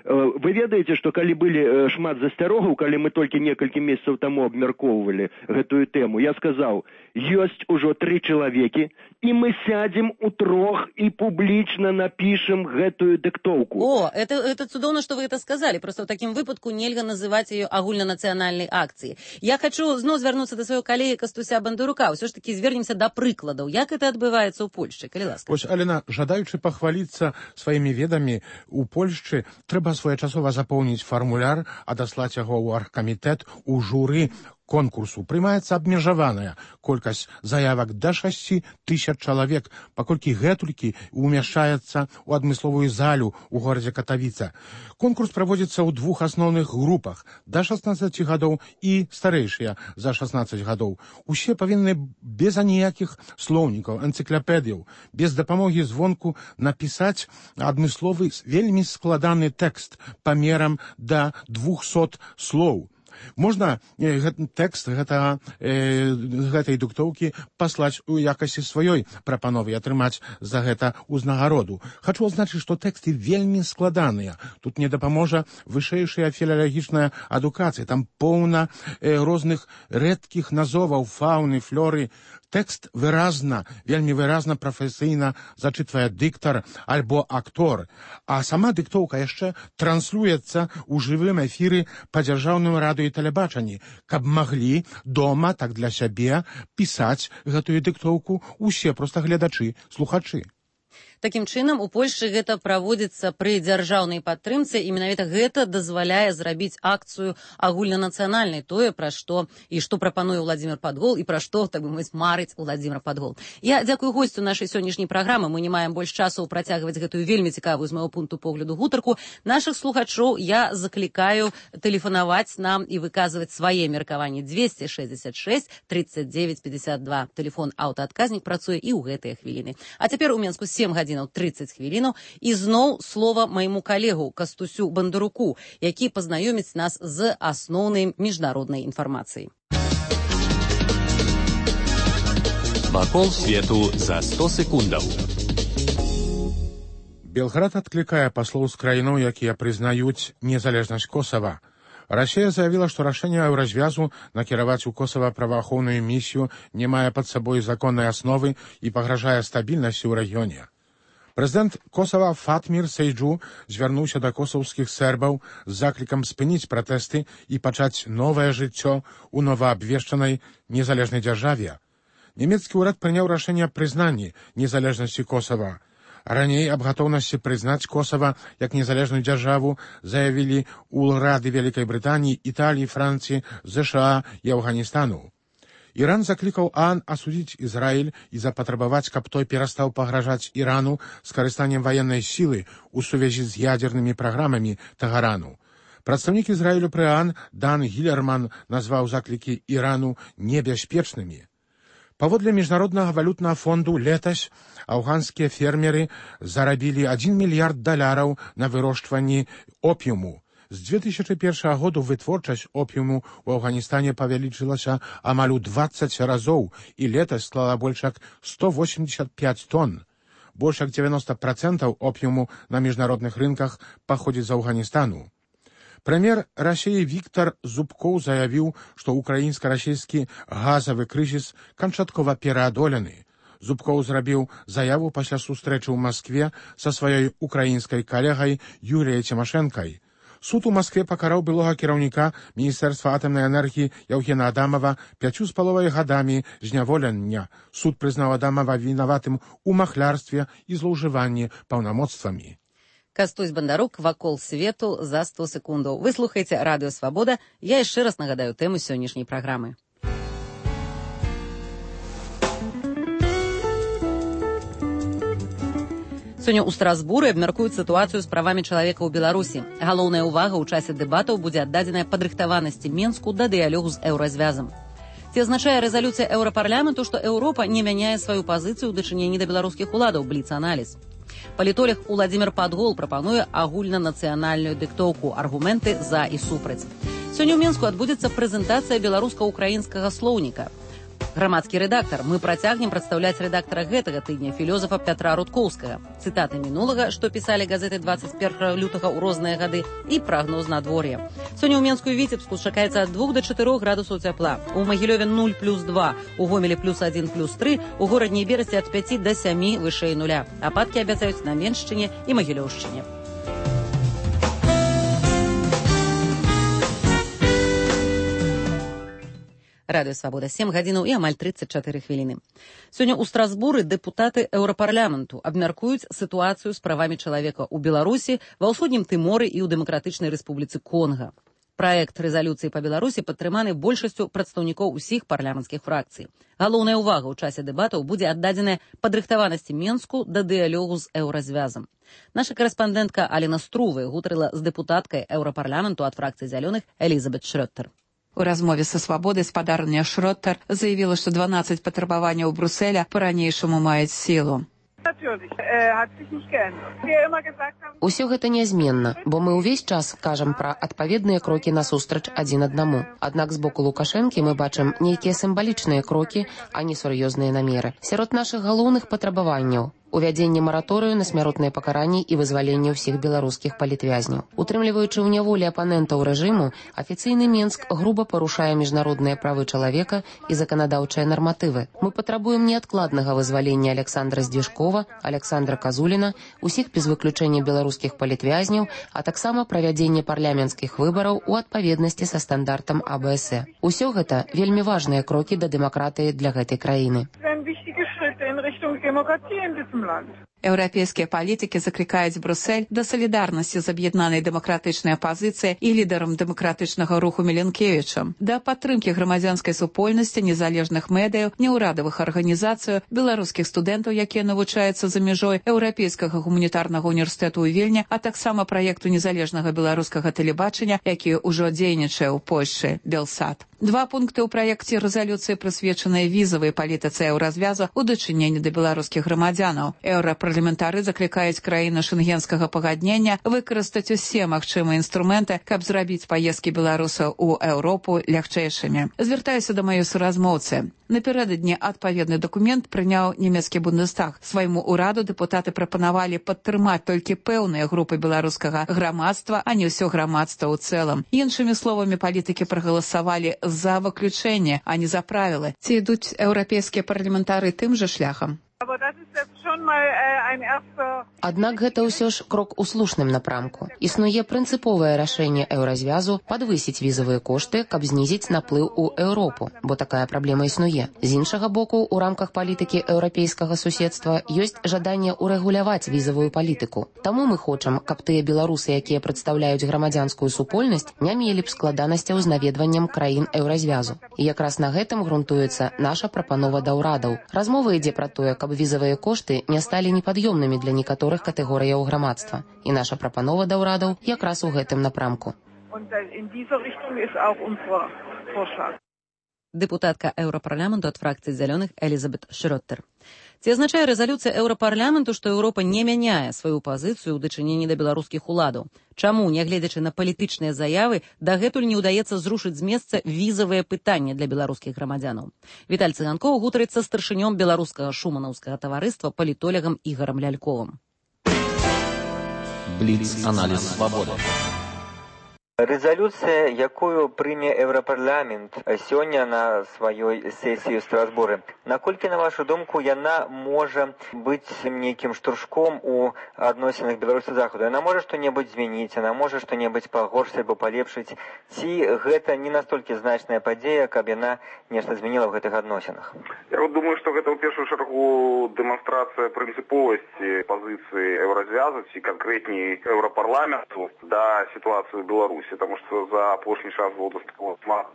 Вы ведаеце, што калі былі шмат засцярогаў, калі мы толькі некалькі месяцаў таму абмяркоўвалі гэтую тэму, я сказаў, ёсць ужо тры чалавекі, і мы сядзем у трох і публічна напішем гэтую дыктоўку. О, это, это цудоўна, што вы это сказалі. Просто ў такім выпадку нельга называць яе агульнанацыянальнай акцыяй. Я хочу зноў звярнуцца да свайго калегі Кастуся Бандурука. Ўсё ж такі звернемся да прыкладаў. Як это адбываецца ў Польшчы? Калі ласка. Вось, Алена, жадаючы пахваліцца сваімі ведамі у Польшчы, трэба своечасова запоўніць фармуляр, адаслаць яго ў аргкамітэт, у журы конкурсу. Прымаецца абмежаваная колькасць заявак да шасці тысяч чалавек, паколькі гэтулькі умяшчаецца ў адмысловую залю ў горадзе Катавіца. Конкурс праводзіцца ў двух асноўных групах да шаснаццаці гадоў і старэйшыя за шаснаццаць гадоў. Усе павінны без аніякіх слоўнікаў, энцыклапедыяў, без дапамогі звонку напісаць адмысловы вельмі складаны тэкст памерам да двухсот слоў. Можна э, тэкст гэта, э, гэтай дыктоўкі паслаць у якасці сваёй прапановы і атрымаць за гэта ўзнагароду. Хачу адзначыць, што тэксты вельмі складаныя. Тут не дапаможа вышэйшая філалагічная адукацыя. Там поўна э, розных рэдкіх назоваў фауны, флоры. Тэкст выразна, вельмі выразна прафесійна зачытвае дыктар альбо актор, а сама дыктоўка яшчэ транслюецца ў жывым эфіры па дзяржаўным радыё і тэлебачанні, каб маглі дома, так для сябе, пісаць гэтую дыктоўку усе проста гледачы, слухачы. Такім чынам, у Польшчы гэта праводзіцца пры дзяржаўнай падтрымцы, і менавіта гэта дазваляе зрабіць акцыю агульнанацыянальнай, тое, пра што і што прапануе Владзімир Падгол, і пра што, так бы мовіць, марыць Владзімир Падгол. Я дзякую госцю нашай сённяшняй праграмы. Мы не маем больш часу працягваць гэтую вельмі цікавую з майго пункту погляду гутарку. Нашых слухачоў я заклікаю тэлефанаваць нам і выказваць свае меркаванні. двести шестьдесят шесть тридцать девять пятьдесят два. Тэлефон аўтаадказнік працуе і ў гэтыя хвіліны. А цяпер у Менску сем гадзінаў тридцать хвілінаў. І зноў слова майму калегу Кастусю Бандаруку, які пазнаёміць нас з асноўнай міжнароднай інфармацыяй. Вакол свету за сто секундаў. Белград адклікае паслоў з краінаў, якія прызнаюць незалежнасць Косава. Расія заявіла, што рашэнне Еўразвязу накіраваць у Косава праваахоўную місію не мае пад сабой законнай асновы і пагражае стабільнасці ў рэгіёне. Прэзідэнт Косава Фатмір Сейджу звярнуўся да косаўскіх сербаў з заклікам спыніць пратэсты і пачаць новае жыццё ў новаабвешчанай незалежнай дзяржаве. Нямецкі ўрад прыняў рашэнне аб прызнанні незалежнасці Косава. Раней аб гатоўнасці прызнаць Косава як незалежную дзяржаву заявілі ўрады Вялікай Брытаніі, Італіі, Францыі, ЗША і Афганістану. Іран заклікаў ААН асудзіць Ізраіль і запатрабаваць, каб той перастаў пагражаць Ірану скарыстаннем ваеннай сілы ў сувязі з ядзернымі праграмамі Тэгарану. Прадстаўнік Ізраілю пры ААН Дан Гілерман назваў заклікі Ірану небяспечнымі. Паводле міжнароднага валютнага фонду летась афганскія фермеры зарабілі адзін мільярд даляраў на вырошчванні опіуму. З две тысячи першага году вытворчасць опіуму ў Афганістане павялічылася амаль у двадцать разоў і летась склала больш як сто восемьдесят пять тонн. Больш як девяносто процентов опіуму на міжнародных рынках паходзіць з Афганістану. Прэм'ер Расіі Віктор Зубкоў заявіў, што украінска-расійскі газавы крызіс канчаткова пераадолены. Зубкоў зрабіў заяву пасля сустрэчы ў Маскве са сваёй украінскай калегай Юріяй Цімашэнкай. Суд у Маскве пакараў былога кіраўніка Міністэрства атамнай энергіі Яўгена Адамава пяццю з паловай гадамі зняволення. Суд прызнаў Адамава вінаватым у махлярстве і злоўжыванні паўнамоцтвамі. Кастусь Бандарук, вакол свету за сто секундаў. Вы слухаеце Радыё Свабода. Я яшчэ раз нагадаю тэму сённяшняй праграмы. Сёння ў Страсбуры абмяркуюць сітуацыю з правамі чалавека ў Беларусі. Галоўная ўвага ў часе дэбатаў будзе аддадзеная падрыхтаванасці Менску да дыялогу з еўразвязам. Ці азначае рэзалюцыя еўрапарламенту, што Еўропа не мяняе сваю пазіцыю ў дачыненні да беларускіх уладаў? Бліц-аналіз. Палітолог Владзімир Падгол прапануе агульнанацыянальную дыктоўку, аргументы за і супраць. Сёння ў Менску адбудзецца прэзентацыя беларуска-украінскага слоўніка. Грамадскі рэдактар. Мы працягнем прадстаўляць рэдактара гэтага тыдня, філёзафа Пятра Рудкоўскага. Цытаты мінулага, што пісалі газеты двадцать першага лютага ў розныя гады, і прагноз надвор'я. Сёння ў Менску і Віцебску чакаецца ад двух да чатырох градусаў цяпла. У Магілёве нуль плюс два, у Гомелі плюс адзін плюс тры, у горадні і Берасці ад пяці да сямі вышэй нуля. Ападкі абяцаюць на Меншчыне і Магілёўшчыне. Радыё Свабода, сем гадзінаў і амаль тридцать чатыры хвіліны. Сёння ў Страсбуры дэпутаты еўрапарламенту абмяркуюць сітуацыю з правамі чалавека ў Беларусі, ва ўсходнім Тыморы і ў Дэмакратычнай Рэспубліцы Конга. Праект рэзалюцыі па Беларусі падтрыманы большасцю прадстаўнікоў усіх парламенцкіх фракцый. Галоўная ўвага ў часе дэбатаў будзе аддадзеная падрыхтаванасці Менску да дыялогу з еўразвязам. Наша карэспандэнтка Алена Струве гутарыла з дэпутаткай еўрапарламенту ад фракцыі зялёных Элізабет Шрёттер. У размове са «Свабодай» спадарня Шроттер заявіла, што дванаццаць патрабаванняў Брусэля па-ранейшаму маюць сілу. Усё гэта нязменна, бо мы ўвесь час кажам пра адпаведныя крокі насустрач адзін аднаму. Аднак з боку Лукашэнкі мы бачым нейкія сімвалічныя крокі, а не сур'ёзныя намеры. Сярод нашых галоўных патрабаванняў увядзенне мараторыю на смяротныя пакаранні і вызваленне ўсіх беларускіх палітвязняў. Утрымліваючы ў няволі апанентаў рэжыму, афіцыйны Менск груба парушае міжнародныя правы чалавека і заканадаўчыя нарматывы. Мы патрабуем неадкладнага вызвалення Александра Здзішкова, Александра Казуліна, усіх без выключэння беларускіх палітвязняў, а таксама правядзення парламенцкіх выбараў у адпаведнасці са стандартам А Б С. Усё гэта вельмі важныя крокі да дэмакратыі для гэтай краіны. Еўрапейскія палітыкі заклікаюць Брюссель да салідарнасці з аб'яднанай дэмакратычнай апазіцыяй і лідарам дэмакратычнага руху Міленкевічам, да падтрымкі грамадзянскай супольнасці, незалежных медыяў, неўрадавых арганізацый, беларускіх студэнтаў, якія навучаюцца за мяжой Еўрапейскага гуманітарнага універсітэту ў Вільні, а таксама праекту незалежнага беларускага тэлебачання, які ўжо дзейнічае ў Польшчы, Белсат. Два пункты ў праекце рэзалюцыі прысвечаныя візавай палітыцы еўразвязу ў дачыненні да беларускіх грамадзянаў. Еўрапарламентары заклікаюць краіны шэнгенскага пагаднення выкарыстаць усе магчымыя інструменты, каб зрабіць паездкі беларусаў у Еўропу лягчэйшымі. Звяртаюся да маёй суразмоўцы. Напярэдадні адпаведны дакумент прыняў нямецкі Бундестаг. Свайму ўраду дэпутаты прапанавалі падтрымаць толькі пэўныя групы беларускага грамадства, а не ўсё грамадства ў цэлым. Іншымі словамі, палітыкі прагаласавалі за выключэнне, а не за правілы. Ці ідуць еўрапейскія парламентары тым жа шляхам? Аднак гэта ўсё ж крок у слушным напрамку. Існуе прынцыповае рашэнне еўразвязу падвысіць візавыя кошты, каб знізіць наплыў у Еўропу, бо такая праблема існуе. З іншага боку, у рамках палітыкі еўрапейскага суседства ёсць жаданне ўрэгуляваць візавую палітыку. Таму мы хочам, каб тыя беларусы, якія прадстаўляюць грамадзянскую супольнасць, не мелі б складанасцяў з наведваннем краін еўразвязу. І якраз на гэтым грунтуецца наша прапанова да ўрадаў. Размова ідзе пра тое, каб візавыя кошты не сталі непад'ёмнымі для некаторых катэгорыяў грамадства. І наша прапанова да ўрадаў якраз у гэтым напрамку. Дэпутатка Еўрапарламенту ад фракцыі зялёных Элізабет Шрёттер. Ці азначае рэзалюцыя Еўрапарламенту, што Еўропа не мяняе сваю пазіцыю ў дачыненні да беларускіх уладаў? Чаму, нягледзячы на палітычныя заявы, дагэтуль не ўдаецца зрушыць з месца візавыя пытанні для беларускіх грамадзянаў? Віталь Цыганкоў гутарыцца з старшынём беларускага шуманаўскага таварыства палітолегам Ігорам Ляльковым. Бліц-аналіз свабоды. Резолюция, якую прыме Еўрапарламент сёння на сваёй сесіі ў Страсбуры, наколькі, на вашу думку, яна можа быць нейкім штуршком у адносінах Беларусі Захаду? Яна можа што-небудзь змяніць, яна можа што-небудзь пагоршыць або палепшыць? Ці гэта не настолькі значная падзея, каб яна нешта змяніла ў гэтых адносінах? Я вот думаю, што гэта ў першую чаргу дэманстрацыя прынцыповасці пазіцыі еўразвязу ці канкрэтней Еўрапарламенту да сітуацыі ў Беларусі. Потому что за апошні час было шмат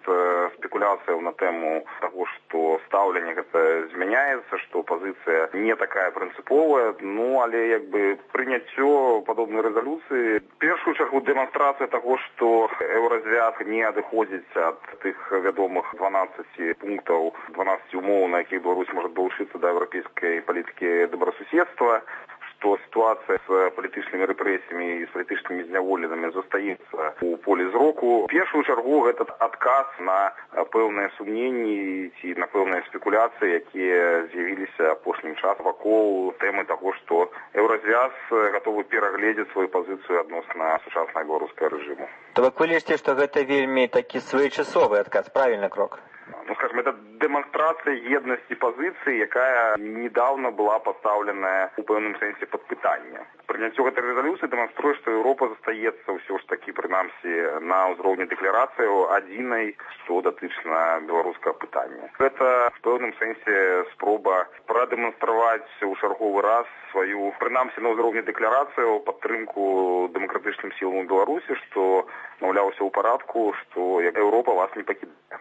спекуляцыяў на тэму таго, што стаўленне гэта змяняецца, што пазіцыя не такая прынцыповая. Ну, але як бы прыняццё падобнай рэзалюцыі першую чаргу дэманстрацыя таго, што еўразвяз не адыходзіць ад тых вядомых дванаццаці пунктаў, дванаццаці умоў, на якіх Беларусь можа далучыцца да еўрапейскай палітыкі добрасуседства, што сітуацыя з палітычнымі рэпрэсіямі і з палітычнымі зняволенымі застаецца у полі зроку. У першую чаргу гэта адказ на пэўныя сумненні ці на пэўныя спекуляцыі, якія з'явіліся апошнім часам вакол тэмы таго, што еўразвяз гатовы перагледзець сваю пазіцыю адносна сучаснага беларускага рэжыму. То вы лічыце, што гэта вельмі такі своечасовы адказ, правільны крок? Ну, скажем, это демонстрация едности позиции, якая недавно была поставлена у пэўным сэнсе под пытанне. Прыняццё гэтай рэзалюцыі дэманструе, што Еўропа застаецца ўсё ж такі, прынамсі, на ўзроўні дэкларацыяў адзінай, што датычна беларускага пытання. Гэта в пэўным сэнсе спроба прадэманстраваць у чарговы раз сваю, прынамсі, на ўзроўні дэкларацыяў падтрымку дэмакратычным сілам у Беларусі, што, маўляў, усё ў парадку, што Еўропа вас не пакідае.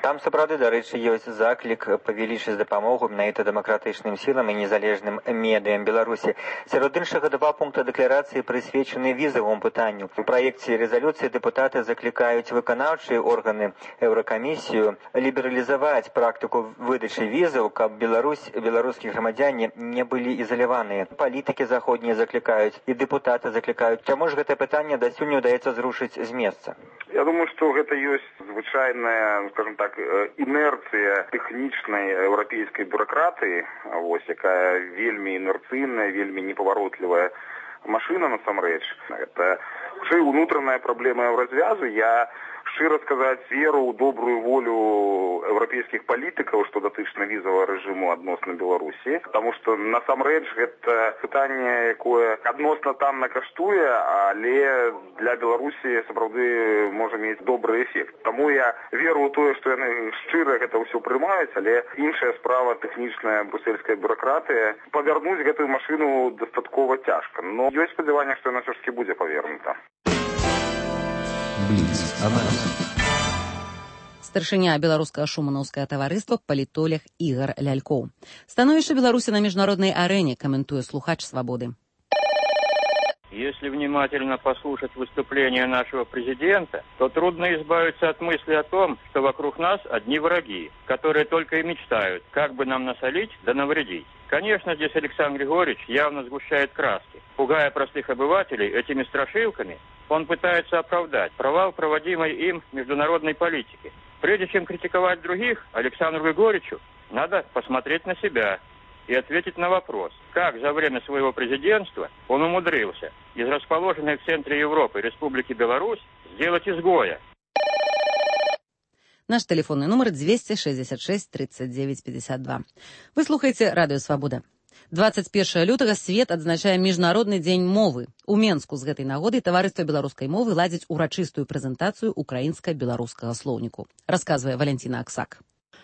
Там сапраўды, дарэчы, ёсць заклік павялічыць дапамогу менавіта дэмакратычным сілам і незалежным медыям Беларусі. Сярод іншага два пункта дэкларацыі прысвечаны візавому пытанню. У праекце рэзалюцыі дэпутаты заклікаюць выканаўчыя органы Еўракамісію лібералізаваць практыку выдачы візаў, каб Беларусь, беларускія грамадзяне не былі ізаляваныя. Палітыкі заходнія заклікаюць і дэпутаты заклікаюць. Чаму ж гэтае пытанне дасюль не ўдаецца зрушыць з месца? Я думаю, што гэта ёсць звычайная, скажем так, інерцыя тэхнічнай еўрапейскай бюракратыі, вось, якая вельмі інерцыйная, вельмі непаваротлівая машына насамрэч. Это хутчэй унутраная праблема еўразвязу. Я шчыра сказаць, веру ў добрую волю еўрапейскіх палітыкаў, што датычна візавага рэжыму адносна Беларусі, таму што насамрэч гэта пытанне, якое адносна танна каштуе, але для Беларусі сапраўды можа мець добры эфект. Таму я веру ў тое, што яны шчыра гэта ўсё прымаюць, але іншая справа тэхнічная брусельская бюракратыя. Павярнуць гэтую машыну дастаткова цяжка, но ёсць спадзяванне, што яна ўсё ж такі будзе павернута. Старшыня беларускага шуманаўскага таварыства палітолог Ігар Лялькоў. Становішча Беларусі на міжнароднай арэне, каментуе слухач «Свободы». Если внимательно послушать выступление нашего президента, то трудно избавиться от мысли о том, что вокруг нас одни враги, которые только и мечтают, как бы нам насолить да навредить. Конечно, здесь Александр Григорьевич явно сгущает краски. Пугая простых обывателей этими страшилками, он пытается оправдать провал проводимой им международной политики. Прежде чем критиковать других, Александру Григорьевичу надо посмотреть на себя и ответить на вопрос, как за время своего президентства он умудрился из расположенной в центре Европы Республики Беларусь сделать изгоя. Наш телефонный номер двести шестьдесят шесть тридцать девять пятьдесят два. Вы слухаеце радыё «Свабода». двадцать першага лютага свет адзначае міжнародны дзень мовы. У Менску з гэтай нагоды таварыства беларускай мовы ладзіць урачыстую прэзентацыю украінска-беларускага слоўніку. Расказвае Валентина Аксак.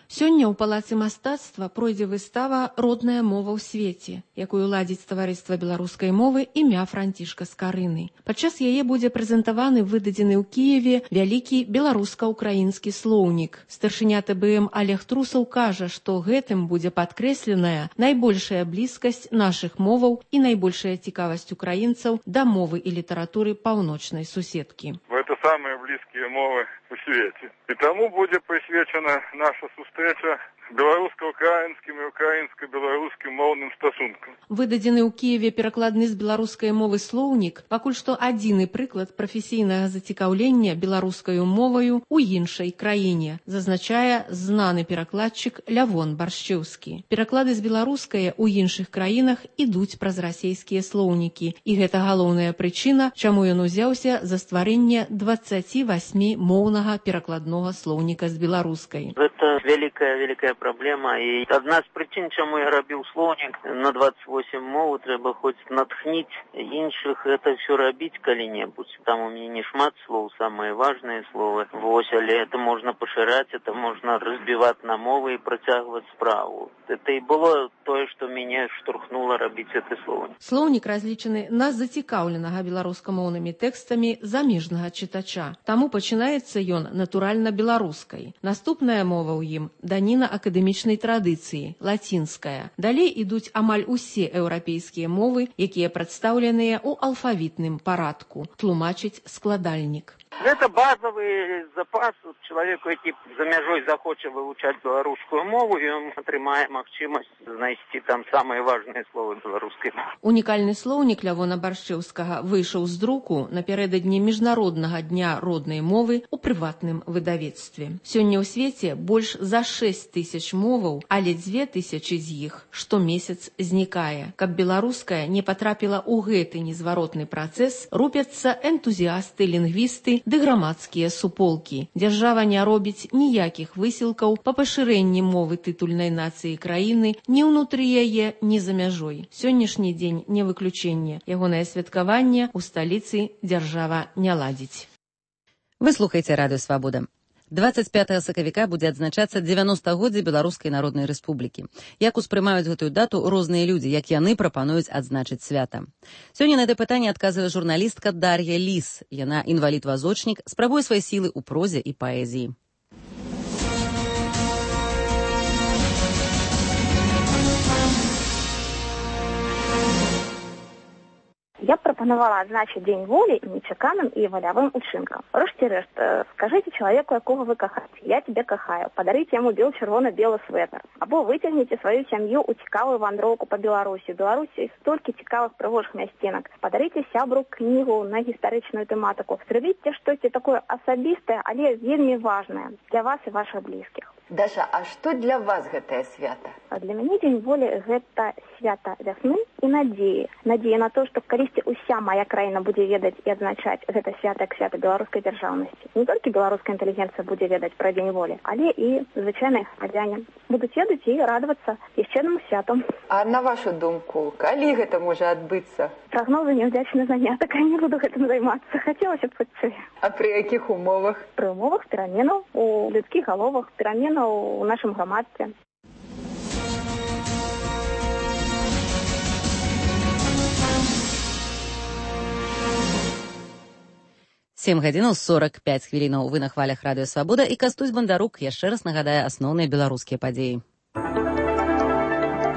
Сёння ў палацы мастацтва пройдзе выстава «Родная мова ў свеце», якую ладзіць таварыства беларускай мовы імя Францішка Скарыны. Падчас яе будзе прэзентаваны выдадзены ў Кіеве вялікі беларуска-украінскі слоўнік. Старшыня тэ бэ эм Олег Трусаў кажа, што гэтым будзе падкрэсленая найбольшая блізкасць нашых моваў і найбольшая цікавасць украінцаў да мовы і літаратуры паўночнай суседкі. Это самые близкие мовы у свете. И тому будет присвячена наша встреча беларуска-украинским и украинско-беларуским мовным стасункам. Выдадзены ў Кіеве перакладны з беларускай мовы слоўнік пакуль што адзіны прыклад прафесійнага зацікаўлення беларускаю моваю ў іншай краіне, зазначае знаны перакладчык Лявон Баршчэўскі. Пераклады з беларускае ў іншых краінах ідуць праз расейскія слоўнікі, і гэта галоўная прычына, чаму ён узяўся за стварэнне дваццаць восьм моўнага перакладнога слоўніка з беларускай. Гэта вялікая вялікая проблема. І одна з причин, чому я робив словник на двадцять восемь мов, треба хоч натхніть інших, це все робити коли-небудь. Там у мене не шмат слов, самые важные слова. Вось, але це можна поширати, це можна розбивати на мови і протягувати справу. Це і було те, що мене штурхнуло робити це слово. Словник разлічены на зацікаўленага беларускамоўнымі тэкстамі замежнага чытача. Таму пачынаецца ён натуральна беларускай. Наступная мова ў ім даніна акадэмічнай традыцыі, лацінская. Далей ідуць амаль усе еўрапейскія мовы, якія прадстаўленыя ў алфавітным парадку, тлумачыць складальнік. Гэта базовый запас чалавеку, які за мяжой захоча вывучаць беларускую мову, і ён атрымае магчымасць знайсці там самыя важныя словы беларускай мовы. Унікальны слоўнік Лявона Баршчэўскага выйшаў з друку напярэдадні міжнароднага дня роднай мовы ў прыватным выдавецтве. Сёння ў свеце больш за шэсць тысяч моваў, але дзве тысячы з іх штомесяц знікае. Каб беларуская не патрапіла ў гэты незваротны працэс, рупяцца энтузіасты, лінгвісты ды грамадскія суполкі. Дзяржава не робіць ніякіх высілкаў па пашырэнні мовы тытульнай нацыі краіны ні ўнутры яе, ні за мяжой. Сённяшні дзень не выключэнне. Ягонае святкаванне ў сталіцы дзяржава не ладзіць. Вы слухаеце радыё «Свабода». двадцать пятага сакавіка будзе адзначацца дзевяностагоддзе Беларускай Народнай Рэспублікі. Як успрымаюць гэтую дату розныя людзі, як яны прапануюць адзначыць свята. Сёння на гэта пытанне адказвае журналістка Дар'я Ліс. Яна інвалід-вазочнік, спрабуе свае сілы ў прозе і паэзіі. Я б прапанавала адзначыць дзень волі нечаканым і валявым учынкам. Рэшце-рэшт, скажыце чалавеку, якога вы кахаеце, я тебе кахаю, падарыце яму бел-чырвона-белы свэтар. Або выцягніце сваю сям'ю ў цікавую вандроўку па Беларусі. У Беларусі столькі цікавых прыгожых мясцінак. Падарыце сябру кнігу на гістарычную тэматыку. Зрабіце штосьці такое асабістае, але вельмі важнае для вас і вашых блізкіх. Даша, а што для вас гэтае свята? А для мяне дзень волі гэта свята вясны і надзеі. Надзея на то, што калісьці ўся моя краіна будзе ведаць і адзначаць гэта свята як свята беларускай дзяржаўнасці. Не толькі беларуская інтэлігенцыя будзе ведаць пра дзень волі, але і звычайныя грамадзяне будуць ведаць і радавацца яшчэ аднаму святу. А на вашу думку, калі гэта можа адбыцца? Прагнозы няўдзячны занятак, я не буду гэтым займацца. Хацелася б хутчэй. А пры якіх умовах? Пры умовах пераменаў у людскіх галовах, пераменаў у нашым грамадстве. сем гадзінаў сорок пяць хвілінаў. Вы на хвалях радыё Свабода, і Кастусь Бандарук яшчэ раз нагадае асноўныя беларускія падзеі.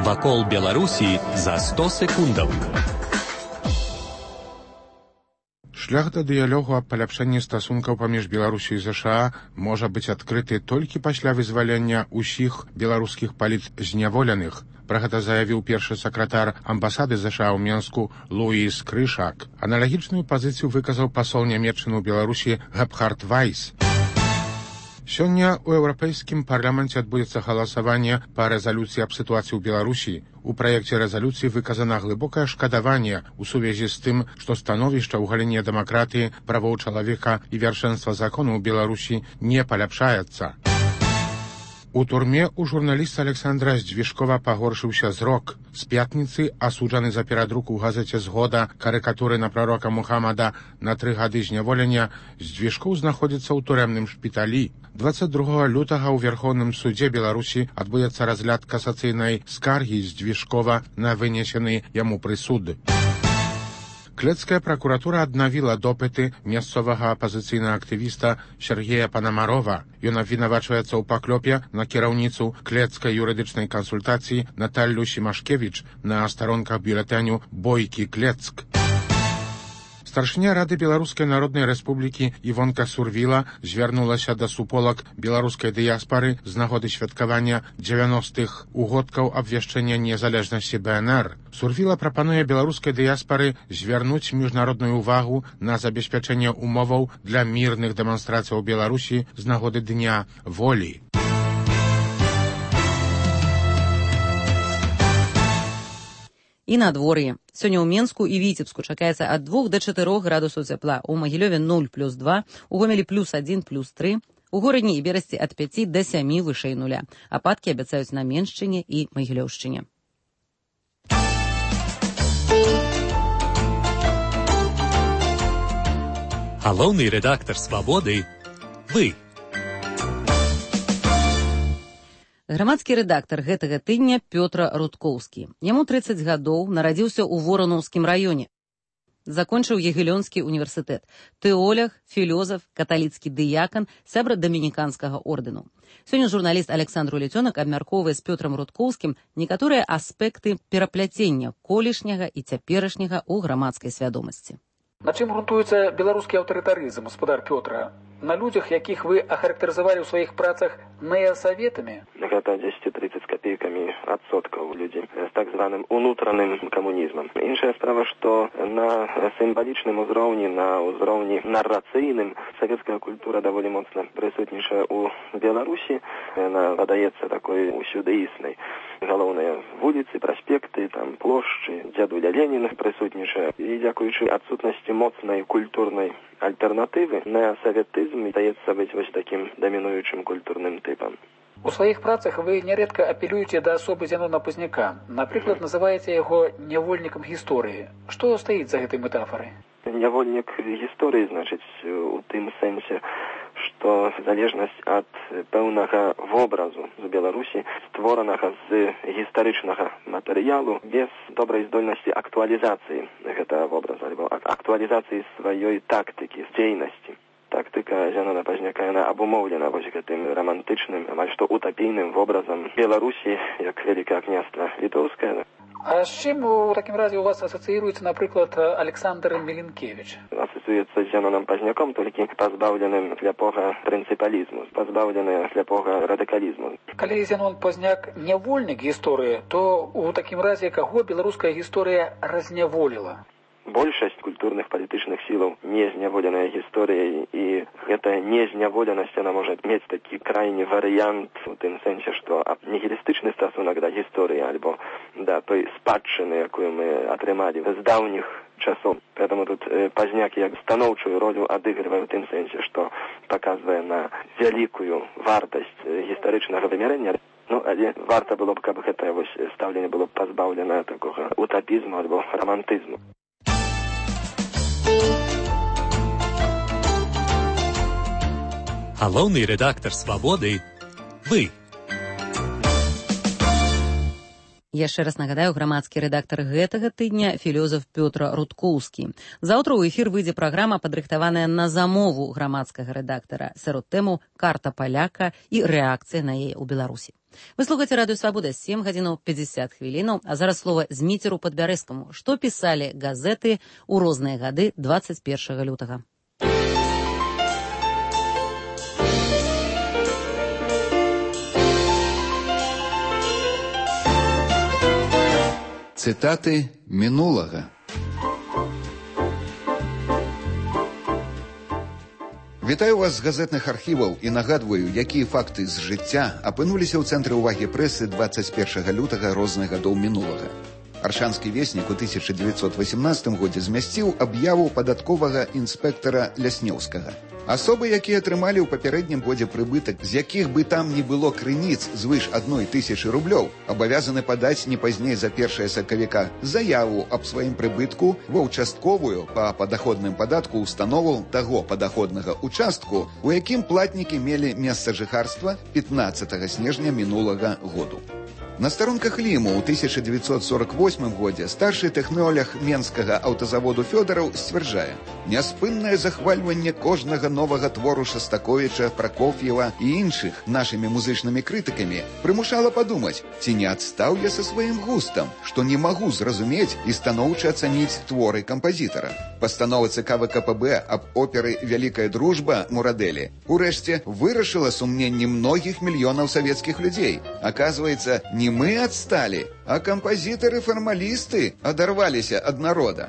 Вакол Беларусі за сто секундаў. Шлях да дыялогу аб паляпшэнні стасункаў паміж Беларусю і ЗША можа быць адкрыты толькі пасля вызвалення ўсіх беларускіх палітзняволеных. Пра гэта заявіў першы сакратар амбасады ЗША ў Менску Луіс Крышак. Аналагічную пазіцыю выказаў пасол нямецчыны ў Беларусі Гебхард Вайс. Сёння ў Еўрапейскім парламенце адбудзецца галасаванне па рэзалюцыі аб сітуацыі ў Беларусі. У праекце рэзалюцыі выказана глыбокае шкадаванне ў сувязі з тым, што становішча ў галіне дэмакратыі, правоў чалавека і вяршэнства закону ў Беларусі не паляпшаецца. У турме у журналіста Александра Здвижкова пагоршыўся зрок. З пятніцы асуджаны за перадрук у газеце «Згода» карыкатуры на прарока Мухаммада на тры гады зняволення, Здвижков знаходзіцца ў турэмным шпіталі. дваццаць другога лютага ў Верхоўным судзе Беларусі адбудзецца разгляд касацыйнай скаргі Здвижкова на вынесены яму прысуд. Клецкая пракуратура аднавіла допыты мясцовага апазіцыйнага актывіста Сергея Панамарова. Ён абвінавачваецца ў паклёпе на кіраўніцу клецкай юрыдычнай кансультацыі Наталлю Сімашкевіч на старонках бюлетэню «Бойкі Клецк». Старшыня Рады Беларускай Народнай Рэспублікі Івонка Сурвіла звярнулася да суполак беларускай дыяспары з нагоды святкавання дзевяностых угодкаў абвяшчэння незалежнасці Бэ Эн Эр. Сурвіла прапануе беларускай дыяспары звярнуць міжнародную ўвагу на забеспячэнне умоваў для мірных дэманстрацыяў у Беларусі з нагоды Дня волі. І надвор'е. Сёння ў Менску і Віцебску чакаецца ад двух да чатырох градусаў цяпла. У Магілёве нуль плюс два, у Гомелі плюс адзін плюс тры, у Горадні і Берасці ад пяці да сямі вышэй нуля. Ападкі абяцаюць на Меншчыне і Магілёўшчыне. Галоўны рэдактар «Свабоды» – вы. Грамадскі рэдактар гэтага тыдня Пётр Рудкоўскі. Яму трыццаць гадоў, нарадзіўся ў Воранаўскім раёне. Закончыў Ягелёнскі універсітэт. Тэолог, філёзаф, каталіцкі дыякан, сябра дамініканскага ордэну. Сёння журналіст Александр Улецёнак абмяркоўвае з Пётрам Рудкоўскім некаторыя аспекты перапляцення колішняга і цяперашняга ў грамадскай свядомасці. На чым грунтуецца беларускі аўтарытарызм, гаспадар Пётра? На людзях, якіх вы ахарактарызавалі ў сваіх працах неасаветамі? Гэта дзесяць-трыццаць капейкамі адсоткаў людзей з так званым унутраным камунізмам. Іншая справа, што на сімвалічным узроўні, на ўзроўні нарацыйным савецкая культура даволі моцна прысутнічае ў Беларусі. Яна падаецца такой усюдыіснай. Галоўныя вуліцы, праспекты, там плошчы, дзядуля Леніна прысутнічае. І дзякуючы адсутнасці моцнай культурнай альтэрнатывы, неасаветызм здаецца быць вось такім дамінуючым культурным тыпам. У сваіх працах вы нярэдка апелюеце да асобы Зянона Пазняка. Напрыклад, называеце яго нявольнікам гісторыі. Што стаіць за гэтай метафорай? Нявольнік гісторыі, значыць, у тым сэнсе, што залежнасць ад пэўнага вобразу з Беларусі, створанага з гістарычнага матэрыялу, без добрай здольнасці актуалізацыі гэтага вобраза, альбо актуалізацыі сваёй тактыкі, дзейнасці. Тактыка Зянона Пазняка, яна абумоўлена вось гэтым рамантычным, амаль што утапійным вобразам Беларусі, як вялікае княства літоўскае. А з чим у такім разі у вас асоціюється, наприклад, Александр Міленкевич? Асоціюється з Зеноном Пазняком, тільки позбавленим сляпого принципалізму, позбавленим сляпого радикалізму. Калі Зенон Пазняк нявольнік гісторыі, то у такім разе каго беларуская гісторыя разняволіла? Большасць культурных палітычных сілаў не зняволеная гісторыяй, і гэтая незняволенасць, она можа мець такі крайні варыянт у тым сэнсе, што нігілістычны стасунак да гісторыі альбо да той спадчыны, якую мы атрымалі з даўніх часоў. Поэтому тут э, Пазняк як станоўчую ролю адыгрывае ў тым сэнсе, што паказвае на вялікую вартасць гістарычнага вымярэння. Ну, але варта было б, каб гэтае вось стаўленне было пазбаўлена такога утапізму альбо романтызму. Галоўны рэдактар «Свабоды» – вы. Яшчэ раз нагадаю, грамадскі рэдактар гэтага тыдня філёзаф Пётр Рудкоўскі. Заўтра ў эфір выйдзе праграма, падрыхтаваная на замову грамадскага рэдактара, сярод тэму «Карта паляка» і рэакцыя на яе ў Беларусі. Вы слухаеце радыё «Свабода», сем гадзінаў пятьдесят хвілінаў, а зараз слова Зміцеру Падбярэзскаму. Што пісалі газеты ў розныя гады двадцать першага лютага? Цытаты мінулага. Вітаю вас з газетных архіваў і нагадваю, якія факты з жыцця апынуліся ў цэнтры ўвагі прэсы двадцать першага лютага розных гадоў мінулага. Аршанскі веснік у тысяча девятьсот восемнадцатым годзе змясціў аб'яву падатковага інспектара Ляснеўскага. Асобы, якія атрымалі ў папярэднім годзе прыбытак, з якіх бы там не было крыніц звыш адной тысячы рублёў, абавязаны падаць не пазней за першае сакавіка заяву аб сваім прыбытку ва ўчастковую па падаходным падатку установу таго падаходнага участку, у якім платнікі мелі месца жыхарства пятнаццатага снежня мінулага году. На старонках Ліму ў тысяча девятьсот сорок восьмым годзе старшы тэхнолог менскага аўтазаводу Фёдараў сцвярджае: няспыннае захвальванне кожнага новага твору Шастаковіча, Пракоф'ева і іншых нашымі музычнымі крытыкамі прымушала падумаць, ці не адстаў я са сваім густам, што не магу зразумець і станоўча ацаніць творы кампазітара. Пастанова ЦК ВКПБ аб оперы «Вялікая дружба» Мурадэлі урэшце вырашыла сумненні многіх мільёнаў савецкіх людзей. Аказваецца, не мы адсталі, а кампазітары-фармалісты адарваліся ад народа.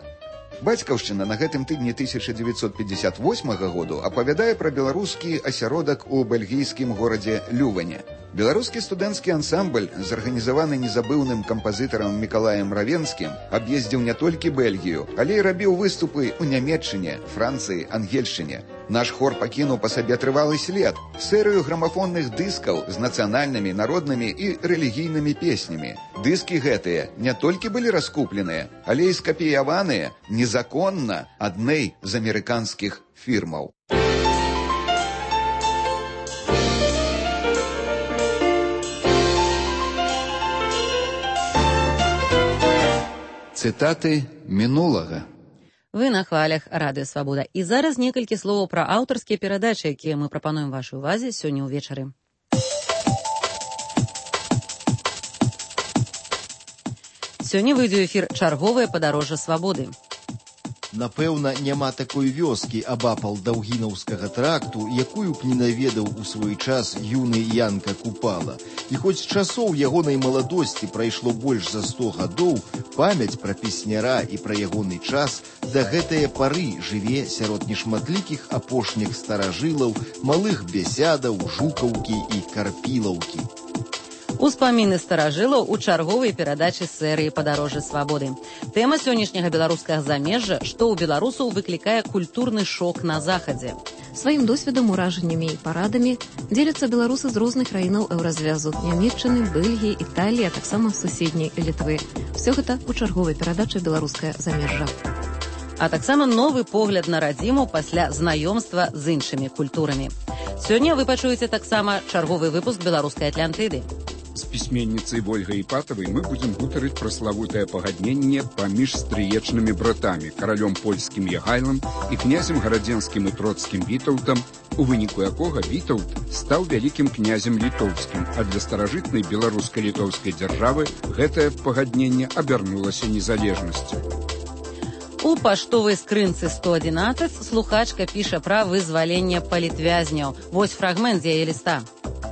Бацькаўшчына на гэтым тыдні тысяча девятьсот пятьдесят восьмага году апавядае пра беларускі асяродак у бельгійскім горадзе Люване. Беларускі студэнцкі ансамбль, зарганізаваны незабыўным кампазітарам Мікалаем Равенскім, аб'ездзіў не толькі Бельгію, але і рабіў выступы ў Нямецчыне, Францыі, Ангельшчыне. Наш хор пакінуў па сабе трывалы след, серыю грамафонных дыскаў з нацыянальнымі, народнымі і рэлігійнымі песнямі. Дыскі гэтыя не толькі былі раскупленыя, але і скапіяваныя незаконна адной з амерыканскіх фірмаў. Цытаты мінулага. Вы на хвалях радыё «Свабода». І зараз некалькі словаў пра аўтарскія перадачы, якія мы прапануем вашай увазе сёння ўвечары. Сёння выйдзе ў эфір чарговае падарожжа свабоды. Напэўна, няма такой вёскі абапал Даўгінаўскага тракту, якую б не наведаў у свой час юны Янка Купала. І хоць часоў ягонай маладосці прайшло больш за сто гадоў, памяць пра песняра і пра ягоны час да гэтае пары жыве сярод нешматлікіх апошніх старажылаў, малых бесядаў, жукаўкі і карпілаўкі. Успаміны старажылаў у чарговай перадачы серыі «Падарожжа свабоды». Тэма сённяшняга беларускага замежжа, што ў беларусаў выклікае культурны шок на захадзе. Сваім досведам, уражаннямі і парадамі дзеляцца беларусы з розных краінаў еўразвязу – Нямецчыны, Бельгіі, Італіі, а таксама суседняй Літвы. Всё гэта у чарговай перадачы «Беларускае замежжа». А таксама новы погляд на радзіму пасля знаёмства з іншымі культурамі. Сёння вы пачуеце таксама чарговы выпуск беларускай Атлантыды. З пісьменніцай Вольгай Іпатавай мы будзем гутарыць пра славутае пагадненне паміж стрыечнымі братамі, каралём польскім Ягайлам і князем гарадзенскім і троцкім Вітаўтам, у выніку якога Вітаўт стаў вялікім князем літоўскім, а для старажытнай беларуска-літоўскай дзяржавы гэтае пагадненне абярнулася незалежнасцю. У паштовай скрынцы сто адзінаццаць слухачка піша пра вызваленне палітвязняў. Вось фрагмент з яе ліста.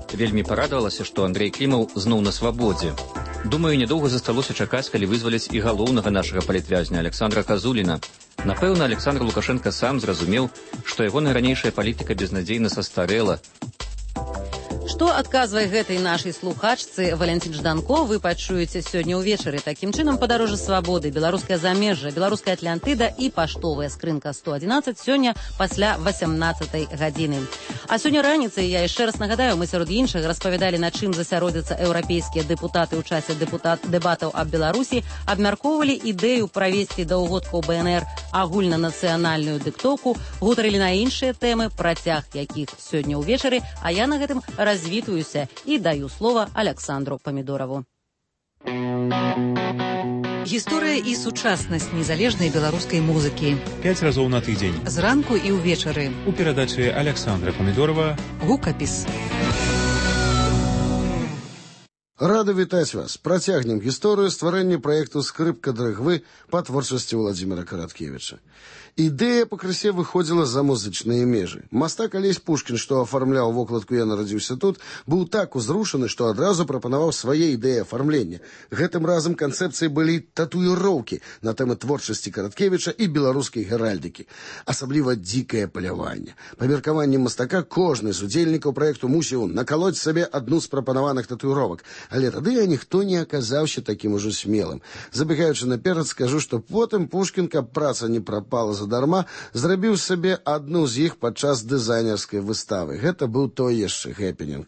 Вельмі парадавалася, што Андрэй Клімаў зноў на свабодзе. Думаю, нядоўга засталося чакаць, калі вызваляць і галоўнага нашага палітвязня Александра Казуліна. Напэўна, Александр Лукашенко сам зразумеў, што ягоная ранейшая палітыка безнадзейна састарэла. Што адказвае гэтай нашай слухачцы Валянцін Жданко, вы пачуеце сёння ўвечары. Такім чынам, падарожжа свабоды, беларускае замежжа, беларуская Атлантыда і паштовая скрынка сто адзінаццаць сёння пасля васямнаццатай гадзіны. А сёння раніцай, я яшчэ раз нагадаю, мы сярод іншага распавядалі, на чым засяродзяцца еўрапейскія дэпутаты ў часе дэпутат дэбатаў аб Беларусі, абмяркоўвалі ідэю правесці да ўгодкаў Бэ Эн Эр агульнанацыянальную дыктоўку, гутарылі на іншыя тэмы, працяг якіх сёння ўвечары, а я на гэтым развітваюся і даю слова Александру Памідораву. Гісторыя і сучаснасць незалежнай беларускай музыкі. Пяць разоў на тыдзень. Зранку і ўвечары. У перадачы Александра Памідорава «Гукапіс». Рады вітаць вас. Працягнем гісторыю стварэння праекту «Скрыпка дрыгвы» па творчасці Владзіміра Караткевіча. Ідэя пакрысе выходзіла за музычныя межы. Мастак Алесь Пушкін, што афармляў вокладку «Я нарадзіўся тут», быў так узрушаны, што адразу прапанаваў свае ідэі афармлення. Гэтым разам канцэпцыі былі татуіроўкі на тэмы творчасці Караткевіча і беларускай геральдыкі. Асабліва дзікае паляванне. Па меркаванні мастака кожны з удзельнікаў праекту мусіў накалоць сабе адну з прапанаваных татуіровак. Але тады ніхто не аказаўся такім ужо смелым. Забегаючы наперад, скажу, што потым Пушкін, каб праца не прапала задарма, зрабіў сабе адну з іх падчас дызайнерскай выставы. Гэта быў той яшчэ хэпенінг.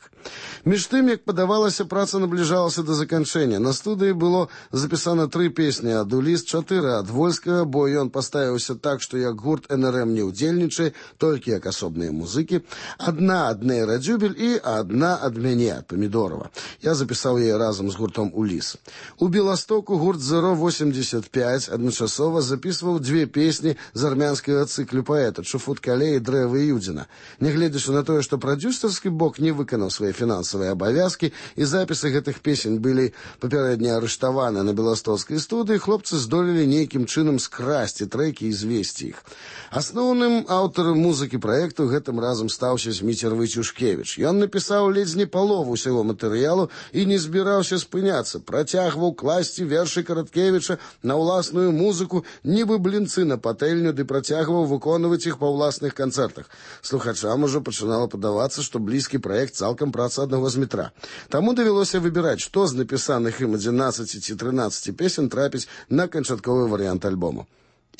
Між тым, як падавалася, праца набліжалася да заканчэння. На студыі было запісана тры песні, ад Уліс чатыры ад Вольскага, бо ён паставіўся так, што як гурт Эн Эр Эм не ўдзельнічае, толькі як асобныя музыкі. Адна ад Нейра Дзюбель і адна ад мяне, ад Памідорава. Я запісаў яе разам з гуртом Уліс. У Беластоку гурт Зеро восемьдесят пять адначасова запісваў дзве песні з армянскага цыклю паэта Чуфут-Кале і Дрэвы Юдзіна. Нягледзячы на тое, што прадзюсарскі бок не выканаў свае фінансавыя абавязкі і запісы гэтых песень былі папярэдне арыштаваны на беластоцкай студыі, хлопцы здолелі нейкім чынам скрасці трэкі і звесці іх. Асноўным аўтарам музыкі праекту гэтым разам стаўся Зміцер Войцюшкевіч. Ён напісаў ледзь не палову ўсяго матэрыялу і не збіраўся спыняцца. Працягваў класці вершы Караткевіча на ўласную музыку, нібы блінцы на патэльню, ды працягваў выконваць іх па ўласных канцэртах. Слухачам ужо пачынала падавацца, што блізкі праект цалкам праца аднаго з метра. Таму давялося выбіраць, што з напісаных ім адзінаццаці ці трынаццаці песен трапіць на канчатковы варыянт альбому.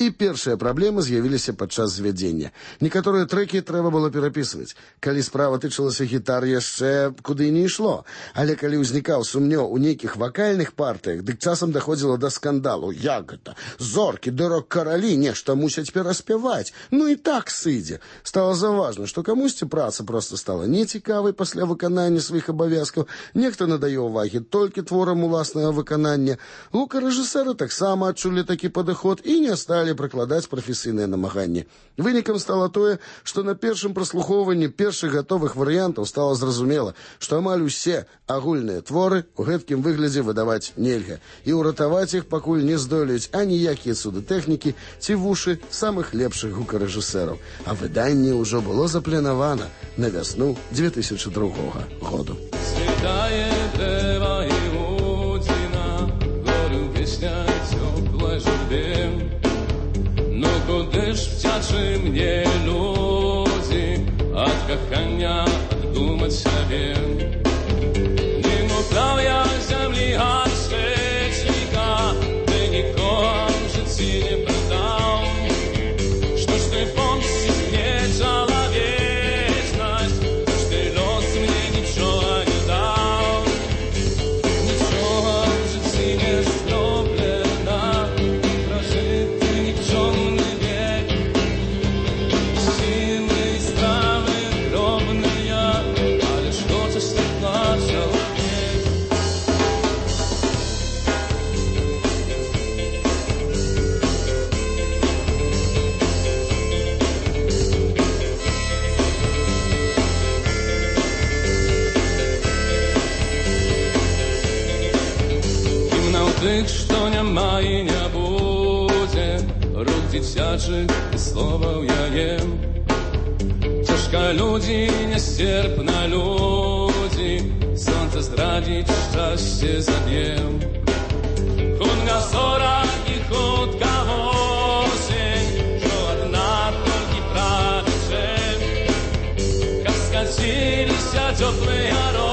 І першыя праблемы з'явіліся падчас звядзення. Некаторыя трэкі трэба было перапісваць. Калі справа тычылася гітар, яшчэ куды не ішло. Але калі ўзнікаў сумнеў у нейкіх вакальных партыях, дык часам даходзіла да скандалу. Як гэта? Зоркі ды рок-каралі нешта мусяць пераспяваць. Ну і так сыдзе. Стала заўважна, што камусьці праца проста стала нецікавай пасля выканання сваіх абавязкаў. Нехта надае ўвагі толькі творам уласнага выканання. Гукарэжысэры таксама адчулі такі падыход і не сталі прыкладаць прафесійныя намаганні. Вынікам стала тое, што на першым праслухоўванні першых гатовых варыянтаў стала зразумела, што амаль усе агульныя творы ў гэткім выглядзе выдаваць нельга, і ўратаваць іх пакуль не здолеюць аніякія цуды тэхнікі ці вушы самых лепшых гукарэжысэраў. А выданне ўжо было запланавана на вясну две тысячи другога году. Куди ж втячи мне люди от кохання думать себе? Не украв я землі гашечника, ти нікого в житті не продав. Что ж ты помнишь мне человечность, что ж ты лос мне ничего не дал. Ничего в житті не зроблено, прожити нічого не Stop. дзіцячых і словаў я ем. Цяжка людзі, нястерпна людзі, сонца здрадзіць, шчасце заб'ем. Хутка зора і хутка восень, што адна толькі прадчэ, каб скаціліся цёплыя рокі.